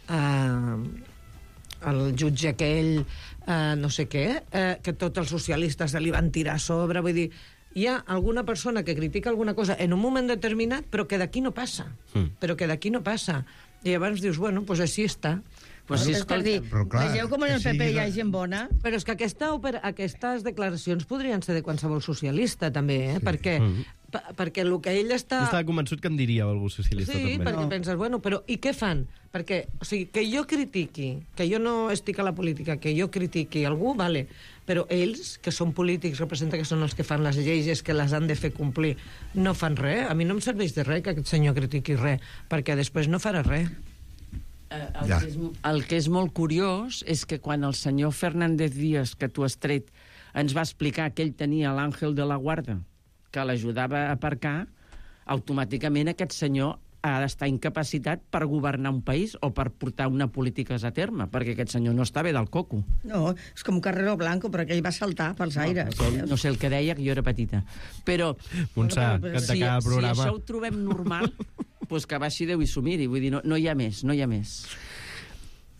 eh, el jutge aquell, eh, no sé què, eh, que tots els socialistes se li van tirar a sobre, vull dir, hi ha alguna persona que critica alguna cosa en un moment determinat, però que d'aquí no passa. Mm. Però que d'aquí no passa. I llavors dius, bueno, doncs així està. Pues sí, és per dir, Però clar, vegeu com en el que P P sigui hi ha de- gent bona. Però és que aquesta, opera, aquestes declaracions podrien ser de qualsevol socialista, també, eh? Sí. Perquè, Mm. pa, perquè el que ell està... Jo estava convençut que em diria algú socialista, Sí, també. perquè No. penses, bueno, però i què fan? Perquè, o sigui, que jo critiqui, que jo no estic a la política, que jo critiqui algú, vale, però ells, que són polítics, representa que són els que fan les lleis, que les han de fer complir, no fan res. A mi no em serveix de res que aquest senyor critiqui res, perquè després no farà res. Eh, el, Ja. que és, el que és molt curiós és que quan el senyor Fernández Díaz, que tu has tret, ens va explicar que ell tenia l'àngel de la guarda, que l'ajudava a aparcar, automàticament aquest senyor ha d'estar incapacitat per governar un país o per portar una polítiques a terme, perquè aquest senyor no està bé del coco. No, és com Carrero Blanco, però aquell va saltar pels aires. No, no sé el que deia, que jo era petita. Però, Montse, Bueno, però- que de si, cada si programa... això ho trobem normal, pues que baixi Déu i s'ho miri. Vull dir, no, no hi ha més, no hi ha més.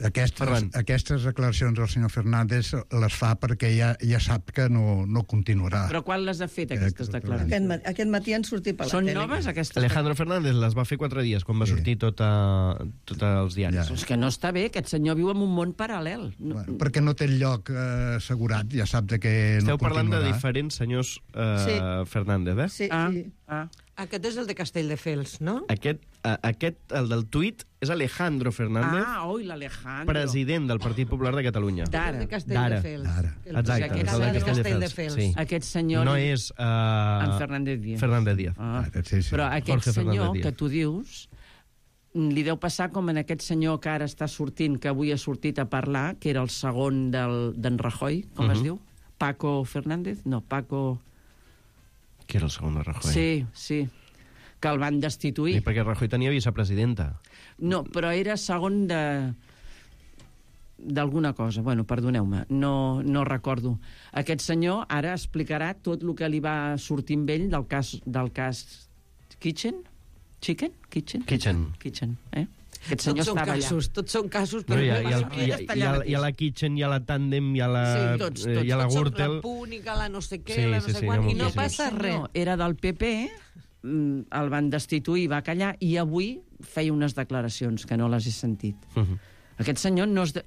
Aquestes, Ferran. aquestes declaracions del senyor Fernández les fa perquè ja, ja sap que no, no continuarà. Però quan les ha fet, aquestes declaracions? Aquest, ma- aquest matí han sortit per la Són tele. noves, aquestes? Alejandro Fernández les va fer quatre dies, quan va Sí. sortir tot, a, tot als diaris. Ja. És que no està bé, aquest senyor viu en un món paral·lel. No, Bueno, perquè no té el lloc eh, assegurat, ja sap de que Esteu no parlant de continuarà. diferents senyors eh, Sí. Fernández, eh? Sí, ah, sí. ah. Aquest és el de Castelldefels, no? Aquest, a, aquest, el del tuit, és Alejandro Fernández, Ah, oi, l'Alejandro. president del Partit Popular de Catalunya. El D'ara. de Castelldefels. D'ara. El Exacte, aquest és el de senyor- Castelldefels. Sí. Aquest senyor... No és... Uh, En Fernández Díaz. Fernández Díaz. Ah. Ah, sí, sí. Però aquest Jorge senyor Fernández Díaz. que tu dius, li deu passar com en aquest senyor que ara està sortint, que avui ha sortit a parlar, que era el segon del- d'en Rajoy, com Mhm. es diu? Paco Fernández? No, Paco... Que era el segon de Rajoy. Sí, sí, que el van destituir. Sí, perquè Rajoy tenia vicepresidenta. No, però era segon de d'alguna cosa. Bueno, perdoneu-me, no, no recordo. Aquest senyor ara explicarà tot el que li va sortir amb ell del cas, del cas Kitchen? Chicken? Kitchen? Kitchen. Kitchen, eh? Aquest senyor Tots són estava casos, allà. tots són casos, No, però hi, ha, no hi, ha, passa hi, ha, res. hi, ha, hi ha la Kitchen, hi ha la Tandem, hi ha la, Sí, tots, eh, tots, hi ha la Tots són Gürtel... la púnica, la no sé què, Sí, la no sí, sé sí, quan, hi ha i no moltíssims. passa res. No, era del P P, mm, el van destituir, va callar, i avui feia unes declaracions que no les he sentit. Uh -huh. Aquest senyor no es de...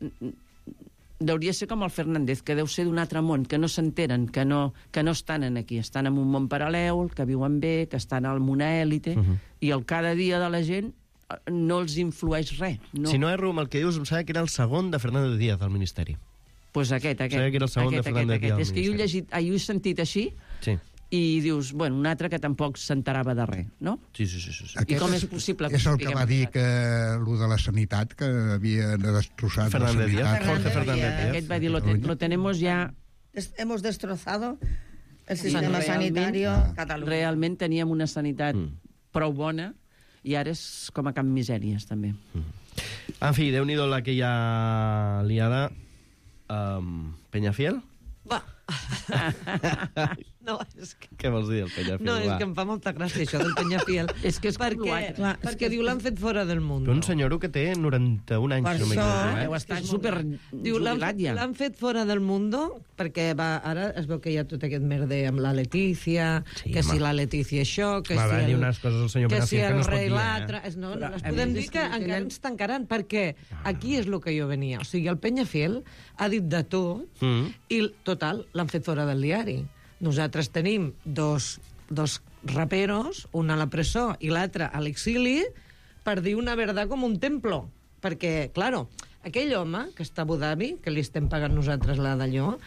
deuria ser com el Fernández, que deu ser d'un altre món, que no s'enteren, que no, que no estan en aquí, estan en un món paral·lel, que viuen bé, que estan al una élite, Uh -huh. i el cada dia de la gent eh, no els influeix res. No. Si no erro amb el que dius, em sembla que era el segon de Fernández Díaz al Ministeri. Pues aquest, aquest. Sabia que era el segon de aquest, Fernández aquest, Díaz aquest. És que jo he, al llegit, ah, jo he sentit així, Sí. i dius, bueno, un altre que tampoc s'enterava de res, no? Sí, sí, sí. sí, sí. I com és possible que És ho el que sapiguem? va dir que el de la sanitat, que havia destrossat Fernández la Díaz, sanitat. Jorge Fernández Díaz. Aquest va dir, lo, te, lo tenemos ya... Des- Hemos destrozado el I sistema realment- sanitario Catalunya. Realment teníem una sanitat Mm. prou bona i ara és com a Camp Misèries, també. En fi, déu-n'hi-do la que hi ha liada. Um, Peñafiel? Va. No, és que... Què vols dir, el Peñafiel? No, és va? que em fa molta gràcia això del Peñafiel. És que és com perquè, l'altre. clar, perquè diu l'han fet fora del món. Però un senyor que té noranta-un anys, Per si no això, m'equivoco, Deu eh? estar super Diu, l'han jubilat ja. l'han fet fora del mundo perquè va, ara es veu que hi ha tot aquest merder amb la Letícia, Sí, que home. si la Letícia això, que Va, si va el, dir unes coses al senyor que Peñafiel si que el no es pot rei dir, eh? l'altre... És- No, no, Però, les a podem més, dir és que que encara tenen- ens tancaran, perquè aquí és el que jo venia. O sigui, el Peñafiel ha dit de tot Mm. i, total, l'han fet fora del diari. Nosaltres tenim dos, dos raperos, un a la presó i l'altre a l'exili, per dir una verdad com un templo. Perquè, claro, aquell home que està a Abu Dhabi, que li estem pagant nosaltres la d'allò,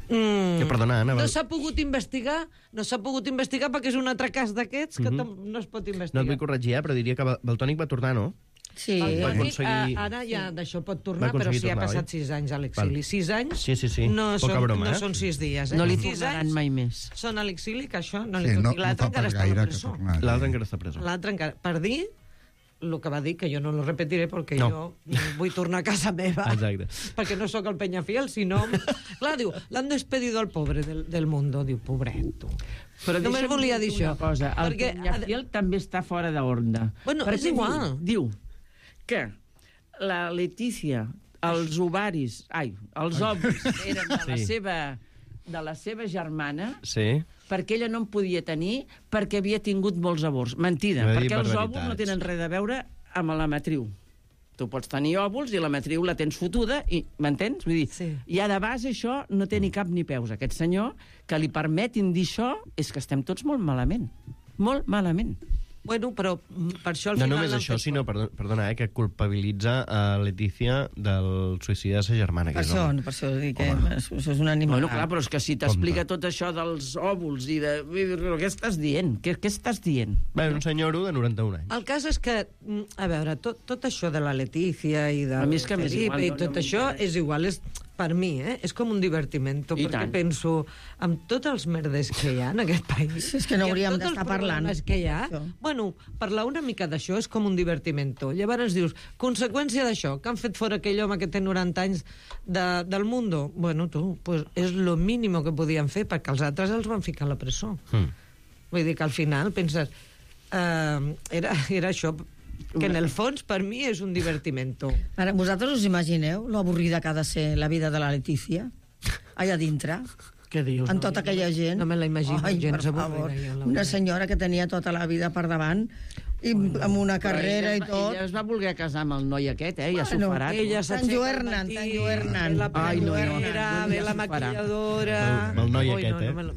mm, Que, perdona, Anna, no val- s'ha pogut investigar, no s'ha pogut investigar perquè és un altre cas d'aquests que Mhm. tam- no es pot No investigar. et vull corregir, eh, però diria que Val- Valtònic va tornar, no? Sí. El Va Toni, aconseguir- a- ara ja d'això pot Va tornar, però aconseguir sí ha tornar, passat oi? sis anys a l'exili. Val. Sis anys Sí, sí, sí. no, Poca són, broma, no eh? són sis dies. Eh? No li sis tornaran anys mai més. Són a l'exili, que això no li Sí, tot. no, I no l'altre fa encara pas està a la gaire que presó. tornar. L'altre encara està preso. L'altre encara... Per dir el que va dir, que jo no lo repetiré perquè No. jo vull tornar a casa meva. Exacte. Perquè no sóc el Peñafiel, sinó... Clar, diu, l'han despedido al pobre del, del mundo. Diu, pobret, tu. Però Només deixa'm volia dir dir-te això. una cosa. El perquè- Peñafiel també està fora d'ordre. Bueno, és Perquè igual. Diu, diu que la Letícia, els ovaris... Ai, els òvuls eren de la Sí. seva de la seva germana, Sí. perquè ella no en podia tenir perquè havia tingut molts avorts. Mentida, No he dit perquè els barbaritats. òvuls no tenen res a veure amb la matriu. Tu pots tenir òvuls i la matriu la tens fotuda, i m'entens? Vull dir, Sí. ja de base això no té ni cap ni peus. Aquest senyor, que li permetin dir això, és que estem tots molt malament. Molt malament. Bueno, però mm, per això al No final... només l'han això, fet sinó, perdona, perdona eh, que culpabilitza a Letícia del suïcidi de sa germana. Per Que és això, home. per això dic que això és un animal. Bueno, clar, però és que si t'explica tot això dels òvuls i de... Què estàs dient? Què, què estàs dient? Bé, un senyoro de noranta-un anys. El cas és que, mm, a veure, tot, tot això de la Letícia i de A mi és que m'és Felipe igual, i no- tot no això m'interessa. és igual, és, per mi, eh? És com un divertimento, I perquè tant. penso, amb tots els merdes que hi ha en aquest país... És que no i amb hauríem tots els d'estar parlant problemes que hi ha, d'això. bueno, parlar una mica d'això és com un divertimento. Llavors dius, conseqüència d'això, que han fet fora aquell home que té noranta anys de, del mundo? Bueno, tu, pues és lo mínimo que podien fer, perquè els altres els van ficar a la presó. Mm. Vull dir que al final penses... Uh, era, era això, que en el fons per mi és un divertimento. Ara, vosaltres us imagineu lo avorrida que ha de ser la vida de la Letícia? Allà dintre? Què dius? Amb tota aquella gent? No me la imagino Ai, gens per avorrida, favor. jo, la Una veritat. senyora que tenia tota la vida per davant i amb una carrera i Però ella es va- tot. Ella es va voler casar amb el noi aquest, eh? Ja s'ho Bueno, farà. tu. Ella T'enlluernen, s'aixeca al matí, t'enlluernen. ve la Ai, no, no, peluquera, no, ve ja la s'ho farà. maquilladora... El- el noi Ui, aquest, no, no eh? me lo-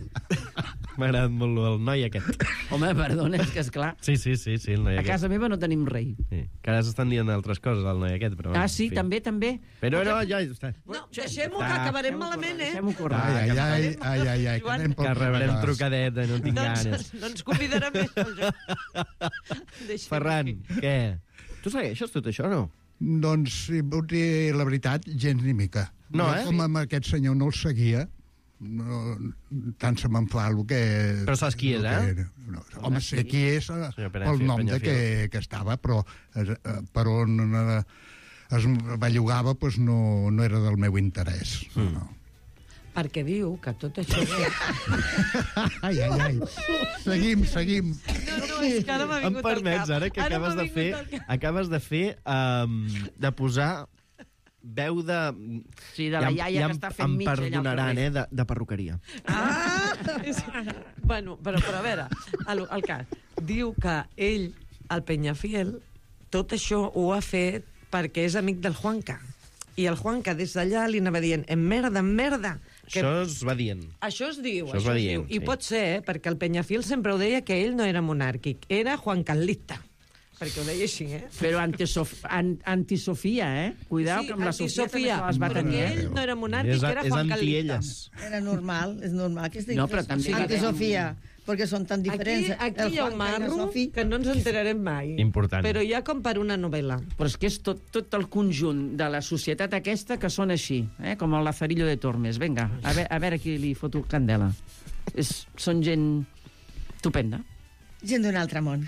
M'ha agradat molt el noi aquest. Home, perdona, és que és clar. Sí, sí, sí, sí el noi A aquest. casa meva no tenim rei. Sí. Que ara s'estan dient altres coses al noi aquest, però... Ah, en sí, fi. també, també. Però no, ja està. No, deixem-ho, que Ah. acabarem malament, eh? Deixem-ho córrer. Ai, ai, ai, ai, ai, ai, que Joan, anem pel Que rebrem fracàs. trucadeta, no tinc ganes. Doncs no ens convidarà més. Deixem Ferran, aquí. què? Tu segueixes tot això o no? Doncs, si vull dir la veritat, gens ni mica. No, Jo, eh? Com amb aquest senyor no el seguia, no, tant se me'n fa el que... Però saps qui és, el que eh? era. No, home, sé qui és eh, Senyor pel Peñafiel, nom de que, que estava, però eh, per on eh, es bellugava doncs no, no era del meu interès. Mm. No. Perquè diu que tot això... Ai, ai, ai. Seguim, seguim. No, no, és que ara m'ha Em vingut al permets, cap. ara que Ara acabes m'ha de fer, vingut al cap. acabes de fer um, de posar veu de... Sí, de la em- iaia que em- està fent em mitja allà al perdonaran, carrer. eh, de, de perruqueria. Ah! És... Bueno, però, però a veure, el, el cas. Diu que ell, el Peñafiel, tot això ho ha fet perquè és amic del Juanca. I el Juanca des d'allà li anava dient en merda, en merda. Que... Això es va dient. Això es diu, Això es va es dient, diu. I sí. pot ser, eh, perquè el Peñafiel sempre ho deia que ell no era monàrquic, era juancarlista. Perquè ho deia així, eh? Però antisof... an antisofia, eh? Cuidao, Sí, que amb la Sofia també antisofia, se les va perquè tenir. eh? ell no era monàrquic, És, era és juancarlista. anti-elles. Era normal, és normal que es digui No, però també- antisofia, perquè són tan Aquí, diferents. aquí El hi ha un Juanca i la marro Sofi. que no ens enterarem mai. Important. Però hi ha com per una novel·la. Però és que és tot, tot el conjunt de la societat aquesta que són així, eh? com el Lazarillo de Tormes. Vinga, a veure, a veure qui li foto candela. És, són gent estupenda. Gent d'un altre món.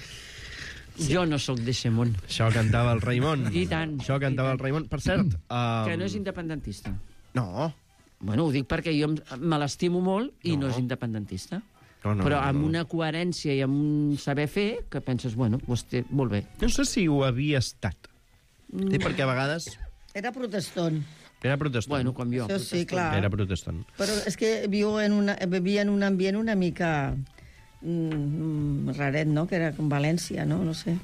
Jo no sóc d'eixe món. Això cantava el Raimon. I tant. Això cantava el Raimon. Per cert... Um... Que no és independentista. No. Bueno, ho dic perquè jo em- me l'estimo molt i no, No. no és independentista. No, no, Però no, amb no. una coherència i amb un saber fer que penses, bueno, doncs té, molt bé. No sé si ho havia estat. Mm. Sí, perquè a vegades Era protestant. era protestant. Bueno, com jo. Això sí, clar. Era protestant. Però és que viu en una, vivia en un ambient una mica mm, raret, no? Que era com València, no? No sé.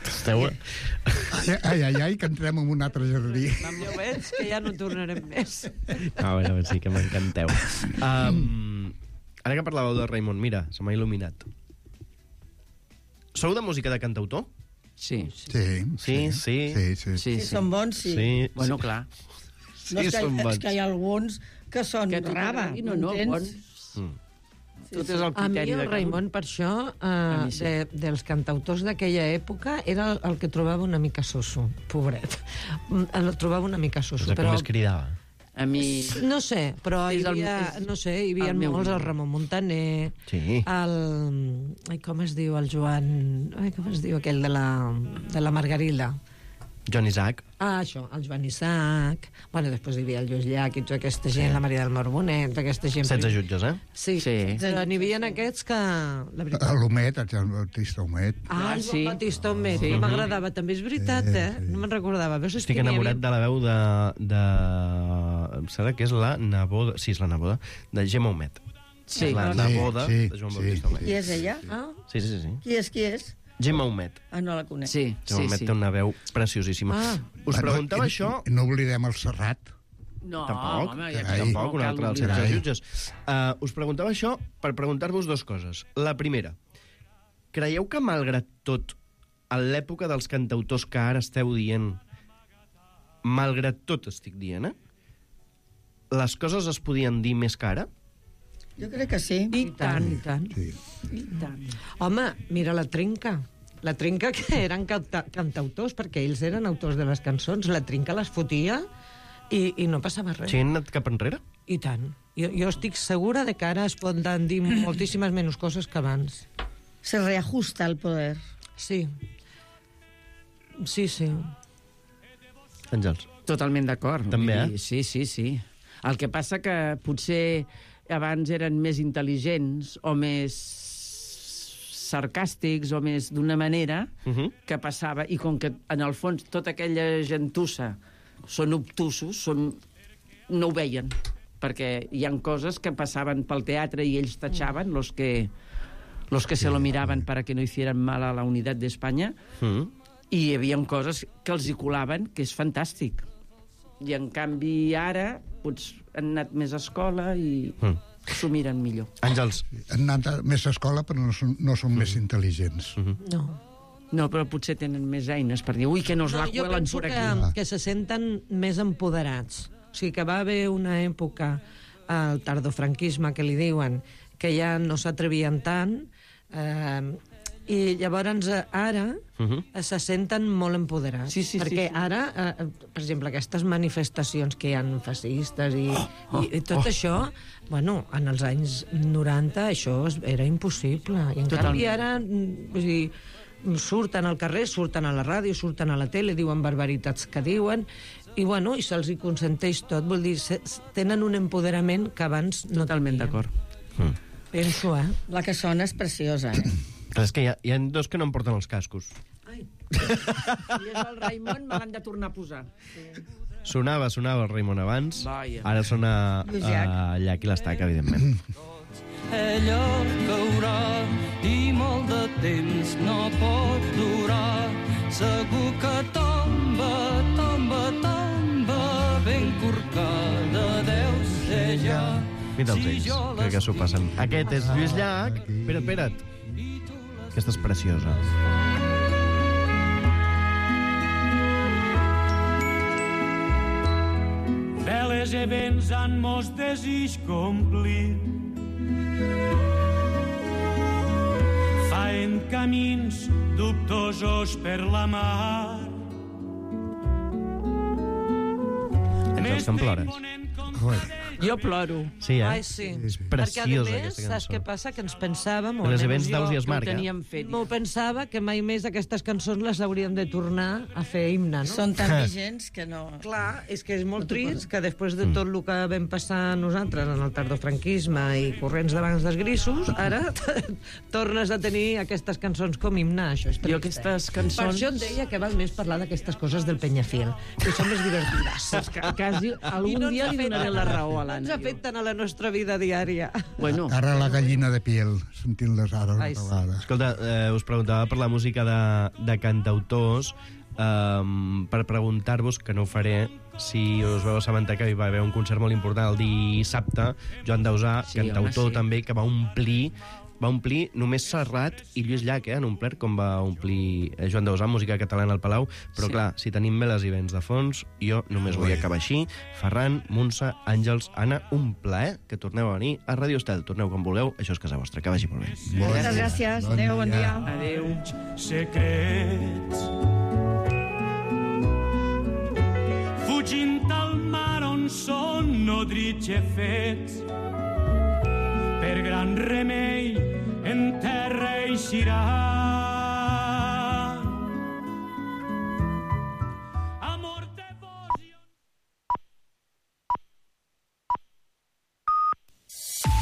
Esteu... Ai, ai, ai, ai, que entrem en un altre jardí. Jo veig que ja no tornarem més. A veure, a veure, sí que m'encanteu. Um, ara que parlàveu de Raimon, mira, se m'ha il·luminat. Sou de música de cantautor? Sí. Sí, sí. Sí, sí. sí, sí. Si són bons, sí. Sí, Bueno, sí. clar. No, és, que, són bons. és que hi ha alguns que són Que a tu raba, t'agradi, no, no, m'entens? bons. Mm. Tot és el A mi criteri el de cada un. Raimon, per això, A eh, mi sí. de, dels cantautors d'aquella època, era el, el que trobava una mica soso, pobret. El trobava una mica soso. És el que més cridava. A mi... No sé, però hi És el- havia, és no sé, hi havia el meu molts, el ídol. Ramon Montaner, Sí. el... Ai, com es diu, el Joan... Ai, com es diu, aquell de la, de la Margarida. John Isaac. Ah, això, el Joan Isaac. Bueno, després hi havia el Lluís Llach i tota aquesta gent, la Maria del Mar Bonet, tota aquesta gent... setze jutges, eh? Sí, Sí. però n'hi havia aquests que... La veritat... L'Homet, el Joan Bautista Homet. Ah, el Joan Batista Homet, Sí. que m'agradava. També és veritat, Sí, eh? sí. No me'n recordava. Veus, és Estic que n'hi enamorat havia- de la veu de... de... Em sembla que és la neboda... Sí, és la neboda de Gemma Humet. Sí. És la Sí, neboda sí, de Joan sí, Bautista Humet. Qui és ella? Ah, Sí, sí, sí. sí. Qui és, qui és? Gemma Humet. Ah, no la conec. Sí, Gemma sí, Humet sí. té una veu preciosíssima. Ah. Us preguntava i, això... i No oblidem el Serrat. No, Tampoc, home, ja Carai. tampoc, un cal altre dels oblidar. setze jutges. Uh, us preguntava això per preguntar-vos dues coses. La primera, creieu que, malgrat tot, a l'època dels cantautors que ara esteu dient, malgrat tot estic dient, eh? Les coses es podien dir més que ara? Jo crec que sí. I tant, i tant. Sí. I tant. Home, mira la Trinca. La Trinca, que eren canta cantautors, perquè ells eren autors de les cançons. La Trinca les fotia i, i no passava res. Sí, han anat cap enrere? I tant. Jo, jo estic segura de que ara es poden dir moltíssimes menys coses que abans. Se reajusta el poder. Sí. Sí, sí. Àngels. Totalment d'acord. També, Vull dir, Sí, sí, sí. El que passa que potser abans eren més intel·ligents o més sarcàstics o més d'una manera Uh -huh. que passava, i com que en el fons tota aquella gentussa són obtusos, són... no ho veien, perquè hi han coses que passaven pel teatre i ells tachaven, los que, los que se lo miraven para que no hicieran mal a la unitat d'Espanya, Mm. i hi havia coses que els hi colaven, que és fantàstic. I, en canvi, ara potser han anat més a escola i Mm. s'ho miren millor. Àngels. Han anat més a escola, però no són, no són més intel·ligents. No. No, però potser tenen més eines per dir, ui, que nos No, la jo cuelen penso por que, aquí. que se senten més empoderats. O sigui, que va haver una època, el tardofranquisme, que li diuen, que ja no s'atrevien tant, eh, i llavors eh, ara Uh -huh. eh, se senten molt empoderats. Sí, sí, sí, perquè sí. ara, eh, per exemple, aquestes manifestacions que hi ha fascistes i, Oh, i, i tot oh. això, bueno, en els anys noranta això es- era impossible. I en Totalment. canvi ara, mm, vull dir, surten al carrer, surten a la ràdio, surten a la tele, diuen barbaritats que diuen, i bueno, i se'ls hi consenteix tot. Vol dir, se, tenen un empoderament que abans no Totalment tenien. d'acord. Mm. Penso, eh? La que sona és preciosa, eh? Clar, és que hi ha, hi ha dos que no em porten els cascos. I és el Raimon, me l'han de tornar a posar. Sonava, sonava el Raimon abans, Vaja. ara sona Lluís uh, Llach. Llach i l'Estac, evidentment. Ella caurà i molt de temps no pot durar. Segur que tomba, tomba, tomba, ben corcada deu ser ja. Mira'ls ells, crec que s'ho passen. Aquest és Lluís Llach. Espera't, espera't. Aquesta és preciosa. Veles e vents han mos desig complir. Faen camins dubtosos per la mar. Àngels, te'n plores? Jo ploro. Sí, eh? Ai, sí. És Perquè, a preciosa, més, aquesta saps cançó. què passa? Que ens pensàvem... o Els almenys events jo, d'Aus i es Que ho marca. teníem fet. M'ho pensava que mai més aquestes cançons les hauríem de tornar a fer himne, no? Són tan vigents que no... Clar, és que és molt trist que després de tot el que vam passar nosaltres en el tardofranquisme i corrents d'abans dels grisos, ara tornes a tenir aquestes cançons com himne, això és trist. Jo aquestes Per cançons... això et deia que val més parlar d'aquestes coses del Penyafil, que són més divertides. Saps que quasi algun dia li donaré la raó a No ens l'Anna. afecten a la nostra vida diària. Bueno, Ara la gallina de piel, sentint-les ara una Ai, sí. vegada. Escolta, eh, us preguntava per la música de, de cantautors, um, per preguntar-vos, que no ho faré, si us veu assabentar que hi va haver un concert molt important el dissabte, Joan Dausà, Sí, cantautor home, sí. també, que va omplir va omplir només Serrat i Lluís Llach, eh, en un plert, com va omplir eh, Joan Dausà, música catalana al Palau, però Sí. clar, si tenim veles i vents de fons, jo només vull acabar així. Ferran, Montse, Àngels, Anna, un plaer que torneu a venir a Radio Estel. Torneu quan vulgueu, això és casa vostra, que vagi molt bé. Moltes gràcies. Adéu, bon dia. Adéu. Secrets. Fugint al mar on són nodrits fets, per gran remei en terra eixirà.